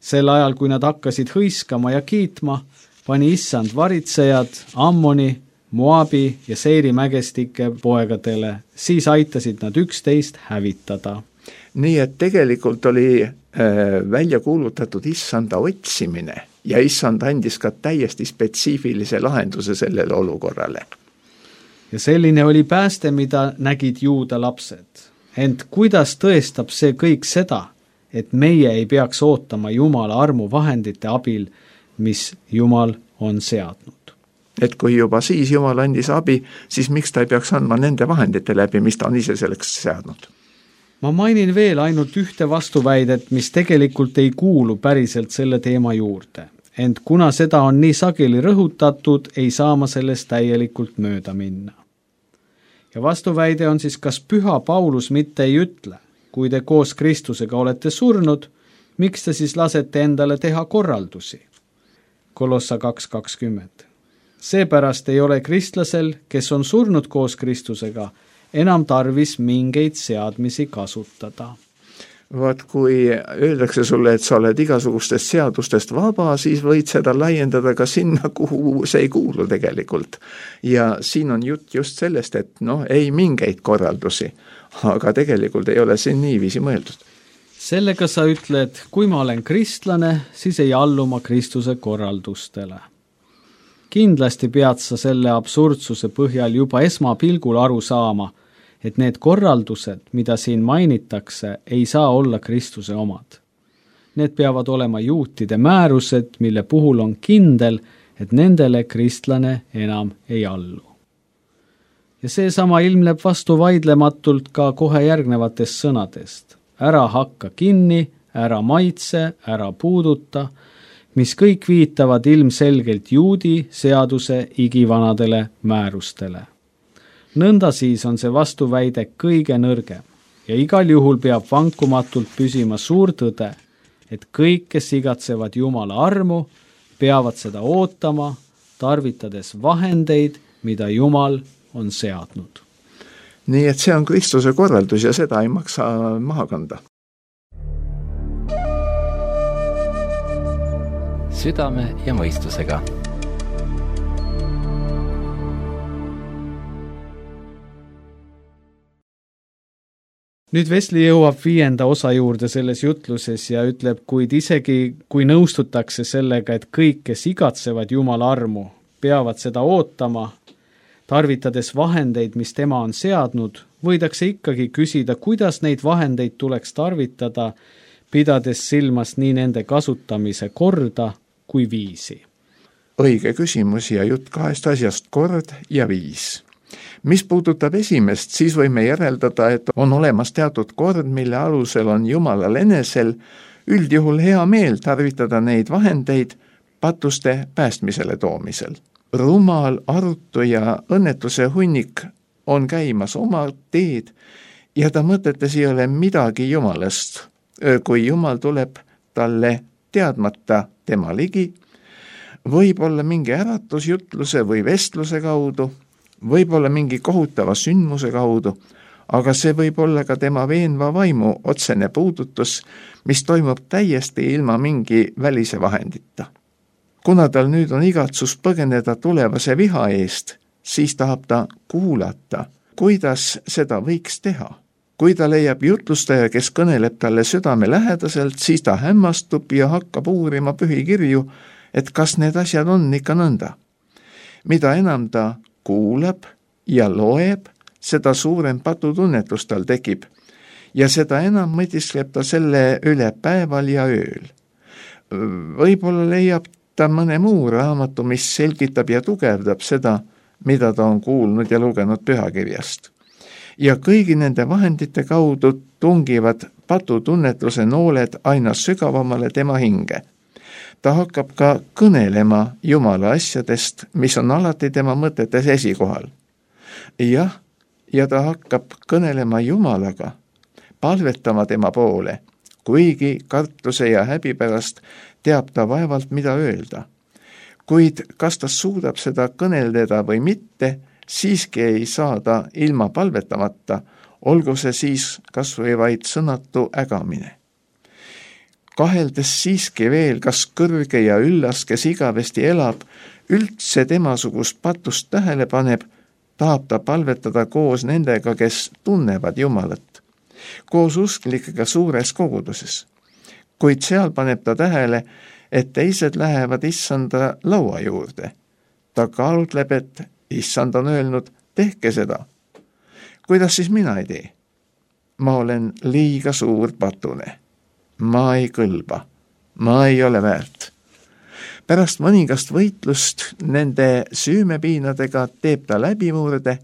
S3: Sel ajal, kui nad hakkasid hõiskama ja kiitma, pani Issand varitsejad Ammoni, Moabi ja Seiri mägestike poegadele, siis aitasid nad üksteist hävitada.
S4: Nii et tegelikult oli välja kuulutatud Issanda otsimine ja Issand andis ka täiesti spetsiifilise lahenduse sellele olukorrale.
S3: Ja selline oli pääste, mida nägid Juuda lapsed. Ent kuidas tõestab see kõik seda, et meie ei peaks ootama Jumala armu vahendite abil, mis Jumal on seadnud?
S4: Et kui juba siis Jumal andis abi, siis miks ta ei peaks andma nende vahendite läbi, mis ta on ise selleks seadnud?
S3: Ma mainin veel ainult ühte vastuväidet, mis tegelikult ei kuulu päriselt selle teema juurde. Ent kuna seda on nii sageli rõhutatud, ei saa ma sellest täielikult mööda minna. Ja vastuväide on siis, kas püha Paulus mitte ei ütle, kui te koos Kristusega olete surnud, miks te siis lasete endale teha korraldusi? Kolossa 2:20. Seepärast ei ole kristlasel, kes on surnud koos Kristusega, enam tarvis mingeid seadmisi kasutada.
S4: Vaat kui öeldakse sulle, et sa oled igasugustest seadustest vaba, siis võid seda laiendada ka sinna, kuhu see ei kuulu tegelikult. Ja siin on jutt just sellest, et ei mingeid korraldusi, aga tegelikult ei ole siin niiviisi mõeldud.
S3: Sellega sa ütled, kui ma olen kristlane, siis ei allu ma Kristuse korraldustele. Kindlasti pead sa selle absurdsuse põhjal juba esmapilgul aru saama, et need korraldused, mida siin mainitakse, ei saa olla Kristuse omad. Need peavad olema juutide määrused, mille puhul on kindel, et nendele kristlane enam ei allu. Ja seesama ilmneb vastu vaidlematult ka kohe järgnevatest sõnadest. Ära hakka kinni, ära maitse, ära puuduta, mis kõik viitavad ilmselgelt juudi seaduse igivanadele määrustele. Nõnda siis on see vastuväide kõige nõrgem ja igal juhul peab vankumatult püsima suur tõde, et kõik, kes igatsevad Jumala armu, peavad seda ootama, tarvitades vahendeid, mida Jumal on seadnud.
S4: Nii et see on Kristuse korraldus ja seda ei maksa maha kanda.
S1: Südame ja mõistusega.
S3: Nüüd Wesley jõuab 5. osa juurde selles jutluses ja ütleb, kuid isegi kui nõustutakse sellega, et kõik, kes igatsevad Jumala armu, peavad seda ootama, tarvitades vahendeid, mis tema on seadnud, võidakse ikkagi küsida, kuidas neid vahendeid tuleks tarvitada, pidades silmas nii nende kasutamise korda kui viisi.
S4: Õige küsimus ja jutt 2 asjast, kord ja viis. Mis puudutab esimest, siis võime järeldada, et on olemas teatud kord, mille alusel on Jumalal enesel üldjuhul hea meel tarvitada neid vahendeid patuste päästmisele toomisel. Rumal, arutu ja õnnetuse hunnik on käimas oma teed ja ta mõtetes ei ole midagi Jumalast, kui Jumal tuleb talle teadmata tema ligi, võib olla mingi äratusjutluse või vestluse kaudu, võib olla mingi kohutava sündmuse kaudu, aga see võib olla ka tema veenva vaimu otsene puudutus, mis toimub täiesti ilma mingi välise vahendita. Kuna tal nüüd on igatsus põgeneda tulevase viha eest, siis tahab ta kuulata, kuidas seda võiks teha. Kui ta leiab jutlustaja, kes kõneleb talle südame lähedaselt, siis ta hämmastub ja hakkab uurima pühikirju, et kas need asjad on ikka nõnda. Mida enam ta kuulab ja loeb, seda suurem patutunnetus tal tekib ja seda enam mõtiskleb ta selle üle päeval ja ööl. Võib-olla leiab ta mõne muu raamatu, mis selgitab ja tugevdab seda, mida ta on kuulnud ja lugenud pühakirjast. Ja kõigi nende vahendite kaudu tungivad patutunnetuse nooled aina sügavamale tema hinge. Ta hakkab ka kõnelema Jumala asjadest, mis on alati tema mõtetes esikohal. Jah, ja ta hakkab kõnelema Jumalaga, palvetama tema poole, kuigi kartuse ja häbi pärast teab ta vaevalt, mida öelda. Kuid kas ta suudab seda kõneldeda või mitte, siiski ei saa ta ilma palvetamata, olgu see siis kas või vaid sõnatu ägamine. Kaheldes siiski veel, kas kõrge ja üllas, kes igavesti elab, üldse temasugust patust tähele paneb, tahab ta palvetada koos nendega, kes tunnevad Jumalat, koos usklikega suures koguduses. Kuid seal paneb ta tähele, et teised lähevad issanda laua juurde. Ta kaalutleb, et issand on öelnud, tehke seda. Kuidas siis mina ei tee? Ma olen liiga suur patune. Ma ei kõlba, ma ei ole väärt. Pärast mõningast võitlust nende süümepiinadega teeb ta läbimurde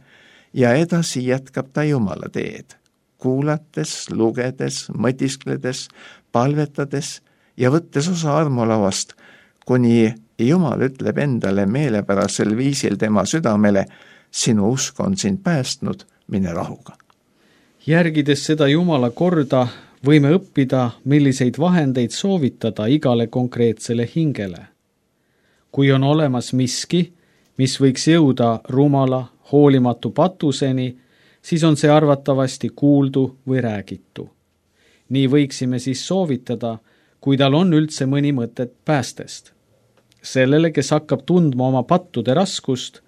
S4: ja edasi jätkab ta Jumala teed, kuulates, lugedes, mõtiskledes, palvetades ja võttes osa armolauast, kuni Jumal ütleb endale meelepärasel viisil tema südamele, sinu usk on sind päästnud, mine rahuga.
S3: Järgides seda Jumala korda, võime õppida, milliseid vahendeid soovitada igale konkreetsele hingele. Kui on olemas miski, mis võiks jõuda rumala, hoolimatu patuseni, siis on see arvatavasti kuuldu või räägitu. Nii võiksime siis soovitada, kui tal on üldse mõni mõtet päästest. Sellele, kes hakkab tundma oma pattude raskust,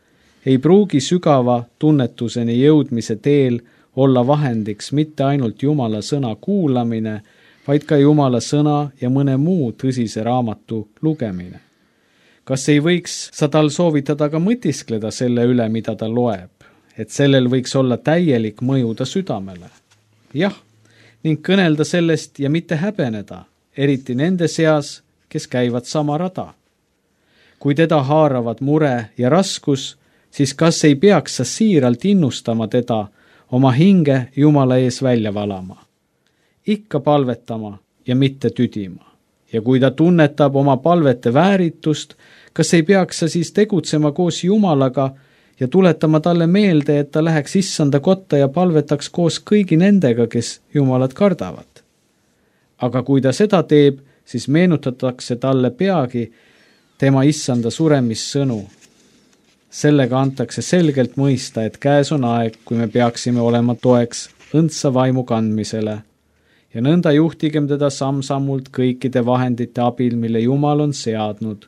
S3: ei pruugi sügava tunnetuseni jõudmise teel olla vahendiks mitte ainult Jumala sõna kuulamine, vaid ka Jumala sõna ja mõne muu tõsise raamatu lugemine. Kas ei võiks sa tal soovitada ka mõtiskleda selle üle, mida ta loeb, et sellel võiks olla täielik mõju ta südamele? Jah, ning kõnelda sellest ja mitte häbeneda, eriti nende seas, kes käivad sama rada. Kui teda haaravad mure ja raskus, siis kas ei peaks sa siiralt innustama teda oma hinge Jumala ees välja valama, ikka palvetama ja mitte tüdima. Ja kui ta tunnetab oma palvete vääritust, kas ei peaks sa siis tegutsema koos Jumalaga ja tuletama talle meelde, et ta läheks issanda kotta ja palvetaks koos kõigi nendega, kes Jumalat kardavad. Aga kui ta seda teeb, siis meenutatakse talle peagi tema issanda suremissõnu. Sellega antakse selgelt mõista, et käes on aeg, kui me peaksime olema toeks õndsa vaimu kandmisele ja nõnda juhtigem teda samm-sammult kõikide vahendite abil, mille Jumal on seadnud,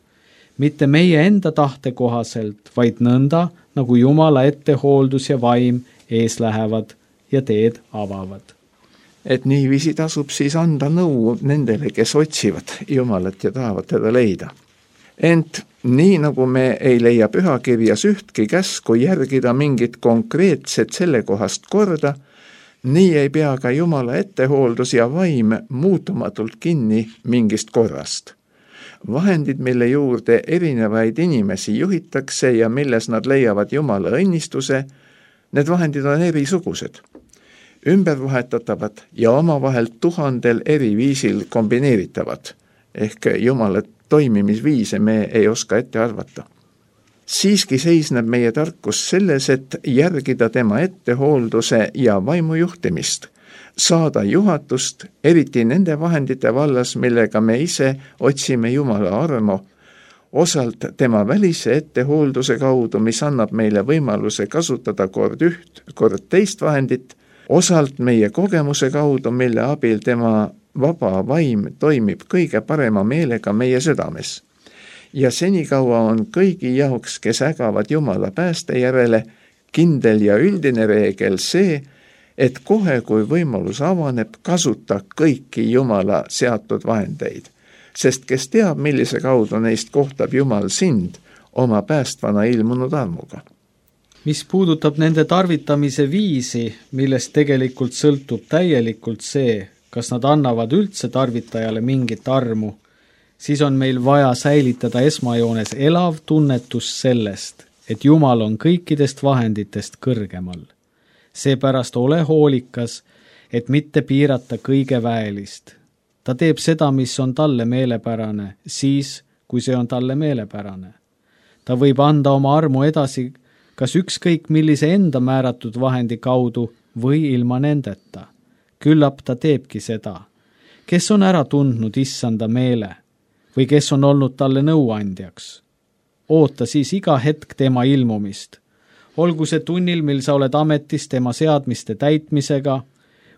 S3: mitte meie enda tahte kohaselt, vaid nõnda, nagu Jumala ettehooldus ja vaim ees lähevad ja teed avavad.
S4: Et niiviisi tasub siis anda nõu nendele, kes otsivad Jumalat ja tahavad teda leida. Ent nii nagu me ei leia pühakirjas ühtki käsku järgida mingit konkreetset sellekohast korda, nii ei pea ka Jumala ettehooldus ja vaim muutumatult kinni mingist korrast. Vahendid, mille juurde erinevaid inimesi juhitakse ja milles nad leiavad Jumala õnnistuse, need vahendid on erisugused, ümbervahetatavad ja omavahel 1000 eri viisil kombineeritavad, ehk Jumala toimimisviise me ei oska ette arvata. Siiski seisneb meie tarkus selles, et järgida tema ettehoolduse ja vaimujuhtimist, saada juhatust, eriti nende vahendite vallas, millega me ise otsime Jumala armo, osalt tema välise ettehoolduse kaudu, mis annab meile võimaluse kasutada kord üht, kord teist vahendit, osalt meie kogemuse kaudu, mille abil tema vaba vaim toimib kõige parema meelega meie südames. Ja senikaua on kõigi jaoks, kes ägavad Jumala pääste järele, kindel ja üldine reegel see, et kohe, kui võimalus avaneb, kasuta kõiki Jumala seatud vahendeid, sest kes teab, millise kaudu neist kohtab Jumal sind oma päästvana ilmunud armuga.
S3: Mis puudutab nende tarvitamise viisi, millest tegelikult sõltub täielikult see, kas nad annavad üldse tarvitajale mingit armu, siis on meil vaja säilitada esmajoones elav tunnetus sellest, et Jumal on kõikidest vahenditest kõrgemal. Seepärast ole hoolikas, et mitte piirata kõige väelist. Ta teeb seda, mis on talle meelepärane, siis, kui see on talle meelepärane. Ta võib anda oma armu edasi kas ükskõik millise enda määratud vahendi kaudu või ilma nendeta. Küllap ta teebki seda. Kes on ära tundnud issanda meele või kes on olnud talle nõuandjaks? Oota siis iga hetk tema ilmumist. Olgu see tunnil, mil sa oled ametis tema seadmiste täitmisega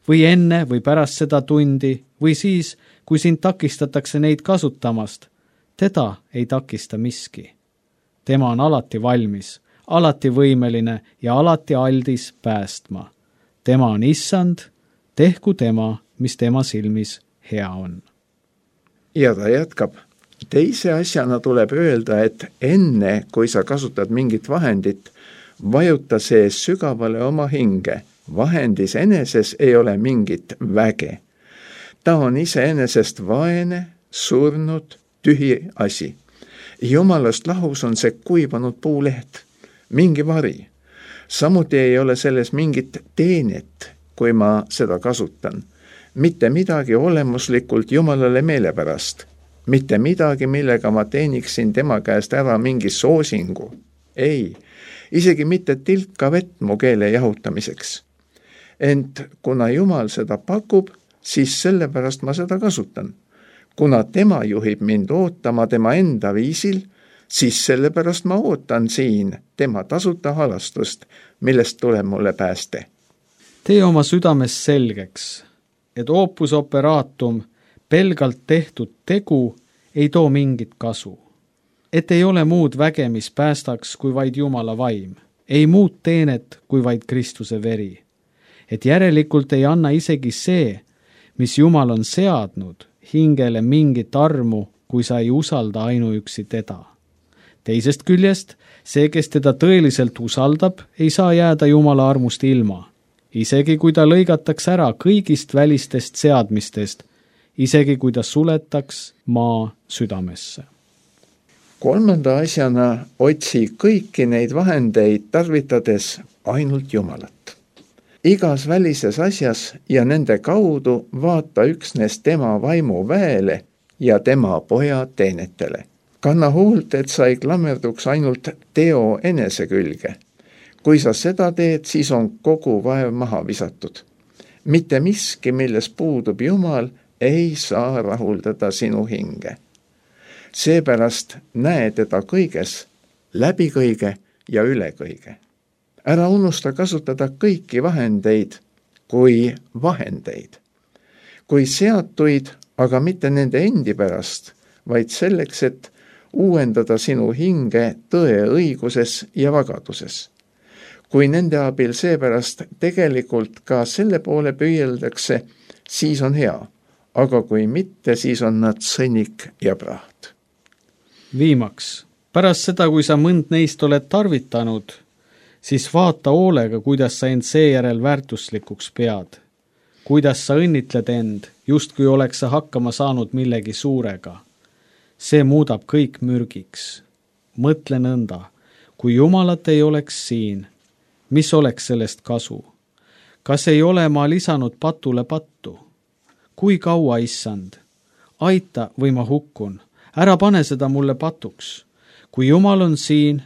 S3: või enne või pärast seda tundi või siis, kui sind takistatakse neid kasutamast. Teda ei takista miski. Tema on alati valmis, alati võimeline ja alati aldis päästma. Tema on issand, tehku tema, mis tema silmis hea on.
S4: Ja ta jätkab. Teise asjana tuleb öelda, et enne, kui sa kasutad mingit vahendit, vajuta see sügavale oma hinge. Vahendis eneses ei ole mingit väge. Ta on iseenesest vaene, surnud, tühi asi. Jumalast lahus on see kuivanud puuleht, mingi vari. Samuti ei ole selles mingit teenet, kui ma seda kasutan. Mitte midagi olemuslikult Jumalale meelepärast. Mitte midagi, millega ma teeniksin tema käest ära mingi soosingu. Ei, isegi mitte tilka vett mu keele jahutamiseks. Ent kuna Jumal seda pakub, siis sellepärast ma seda kasutan. Kuna tema juhib mind ootama tema enda viisil, siis sellepärast ma ootan siin tema tasuta halastust, millest tuleb mulle pääste.
S3: Tee oma südames selgeks, et opus operatum, pelgalt tehtud tegu, ei too mingit kasu. Et ei ole muud väge, mis päästaks, kui vaid Jumala vaim. Ei muud teenet, kui vaid Kristuse veri. Et järelikult ei anna isegi see, mis Jumal on seadnud, hingele mingit armu, kui sa ei usalda ainuüksi teda. Teisest küljest, see, kes teda tõeliselt usaldab, ei saa jääda Jumala armust ilma. Isegi kui ta lõigataks ära kõigist välistest seadmistest, isegi kui ta suletaks maa südamesse.
S4: Kolmanda asjana otsi kõiki neid vahendeid tarvitades ainult Jumalat. Igas välises asjas ja nende kaudu vaata üksnes tema vaimu väele ja tema poja teenetele. Kanna hoolt, et sa ei klammerduks ainult teo enese külge. kui sa seda teed, siis on kogu vaev maha visatud. Mitte miski, milles puudub Jumal, ei saa rahuldada sinu hinge. Seepärast näe teda kõiges, läbi kõige ja üle kõige. Ära unusta kasutada kõiki vahendeid kui vahendeid. Kui seatuid, aga mitte nende endi pärast, vaid selleks, et uuendada sinu hinge tõe õiguses ja vagaduses. Kui nende abil seepärast tegelikult ka selle poole püüeldakse, siis on hea, aga kui mitte, siis on nad sõnnik ja praht.
S3: Viimaks, pärast seda, kui sa mõnd neist oled tarvitanud, siis vaata hoolega, kuidas sa end seejärel väärtuslikuks pead. Kuidas sa õnnitled end, just kui oleks sa hakkama saanud millegi suurega. See muudab kõik mürgiks. Mõtle nõnda, kui Jumalat ei oleks siin, mis oleks sellest kasu? Kas ei ole ma lisanud patule pattu? Kui kaua, issand? Aita või ma hukkun. Ära pane seda mulle patuks. Kui Jumal on siin,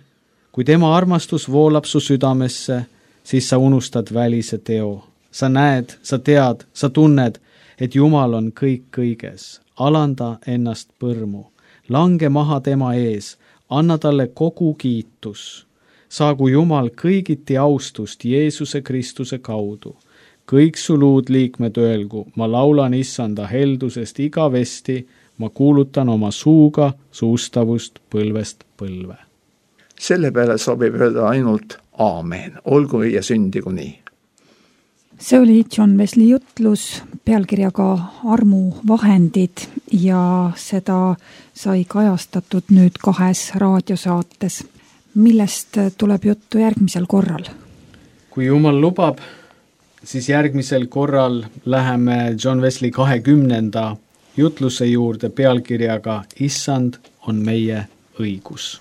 S3: kui tema armastus voolab su südamesse, siis sa unustad välise teo. Sa näed, sa tead, sa tunned, et Jumal on kõik kõiges. Alanda ennast põrmu. Lange maha tema ees. Anna talle kogu kiitus. Saagu Jumal kõigiti austust Jeesuse Kristuse kaudu. Kõik su luud liikmed öelgu, ma laulan issanda heldusest igavesti, ma kuulutan oma suuga suustavust põlvest põlve.
S4: Selle peale sobib öelda ainult aamen, olgu ja sündigu nii.
S2: See oli John Wesley jutlus pealkirjaga Armu vahendid ja seda sai kajastatud nüüd 2 raadiosaates. Millest tuleb juttu järgmisel korral?
S3: Kui Jumal lubab, siis järgmisel korral läheme John Wesley 20. jutluse juurde pealkirjaga Issand on meie õigus.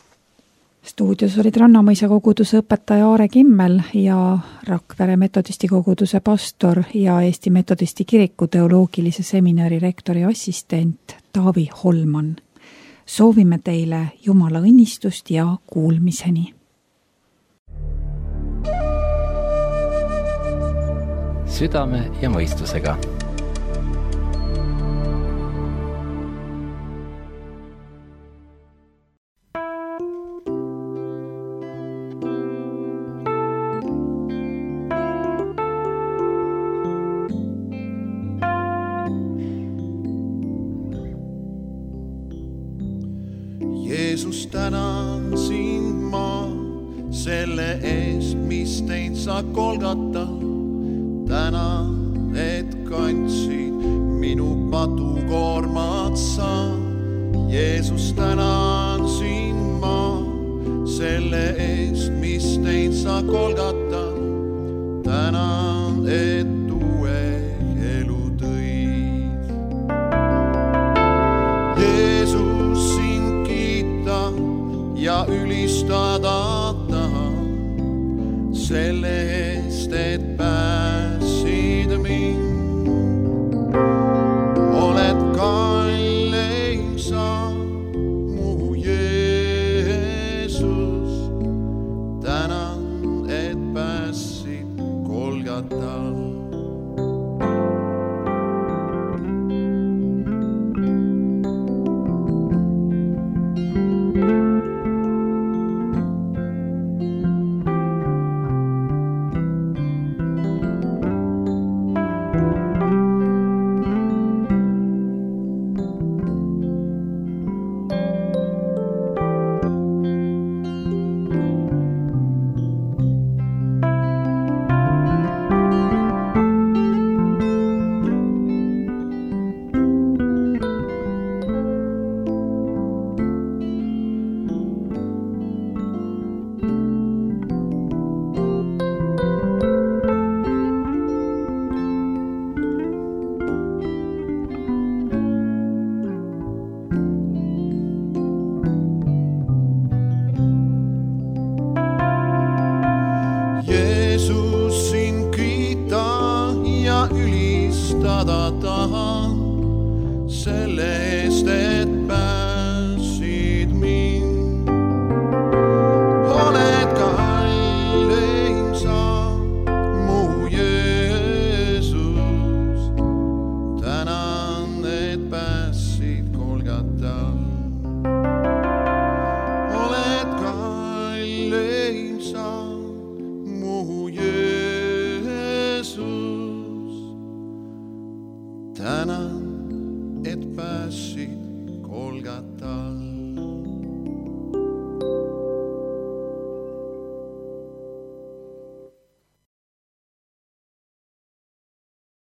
S2: Stuudios olid Rannamõisa koguduse õpetaja Aare Kimmel ja Rakvere metodisti koguduse pastor ja Eesti Metodisti kiriku teoloogilise seminari rektori assistent Taavi Holman. Soovime teile Jumala õnnistust ja kuulmiseni.
S1: Südame ja mõistusega.
S5: Jeesus, tänan sind ma selle eest, mis teid sa Golgata. Tänan, et kandsid minu patukoormat sa. Jeesus, tänan sind ma selle eest, mis teid sa Golgata. Tänan, et uue elu tõid. Jeesus, sind kiita ja ülistada tahan selle eest, et pääsid mind. Oled kalleim sa, mu Jeesus. Tänan, et pääsid Golgatal. Ülistada tahan selle eest, et pääsid mind. Oled kalleim tänan, et päässid Golgata.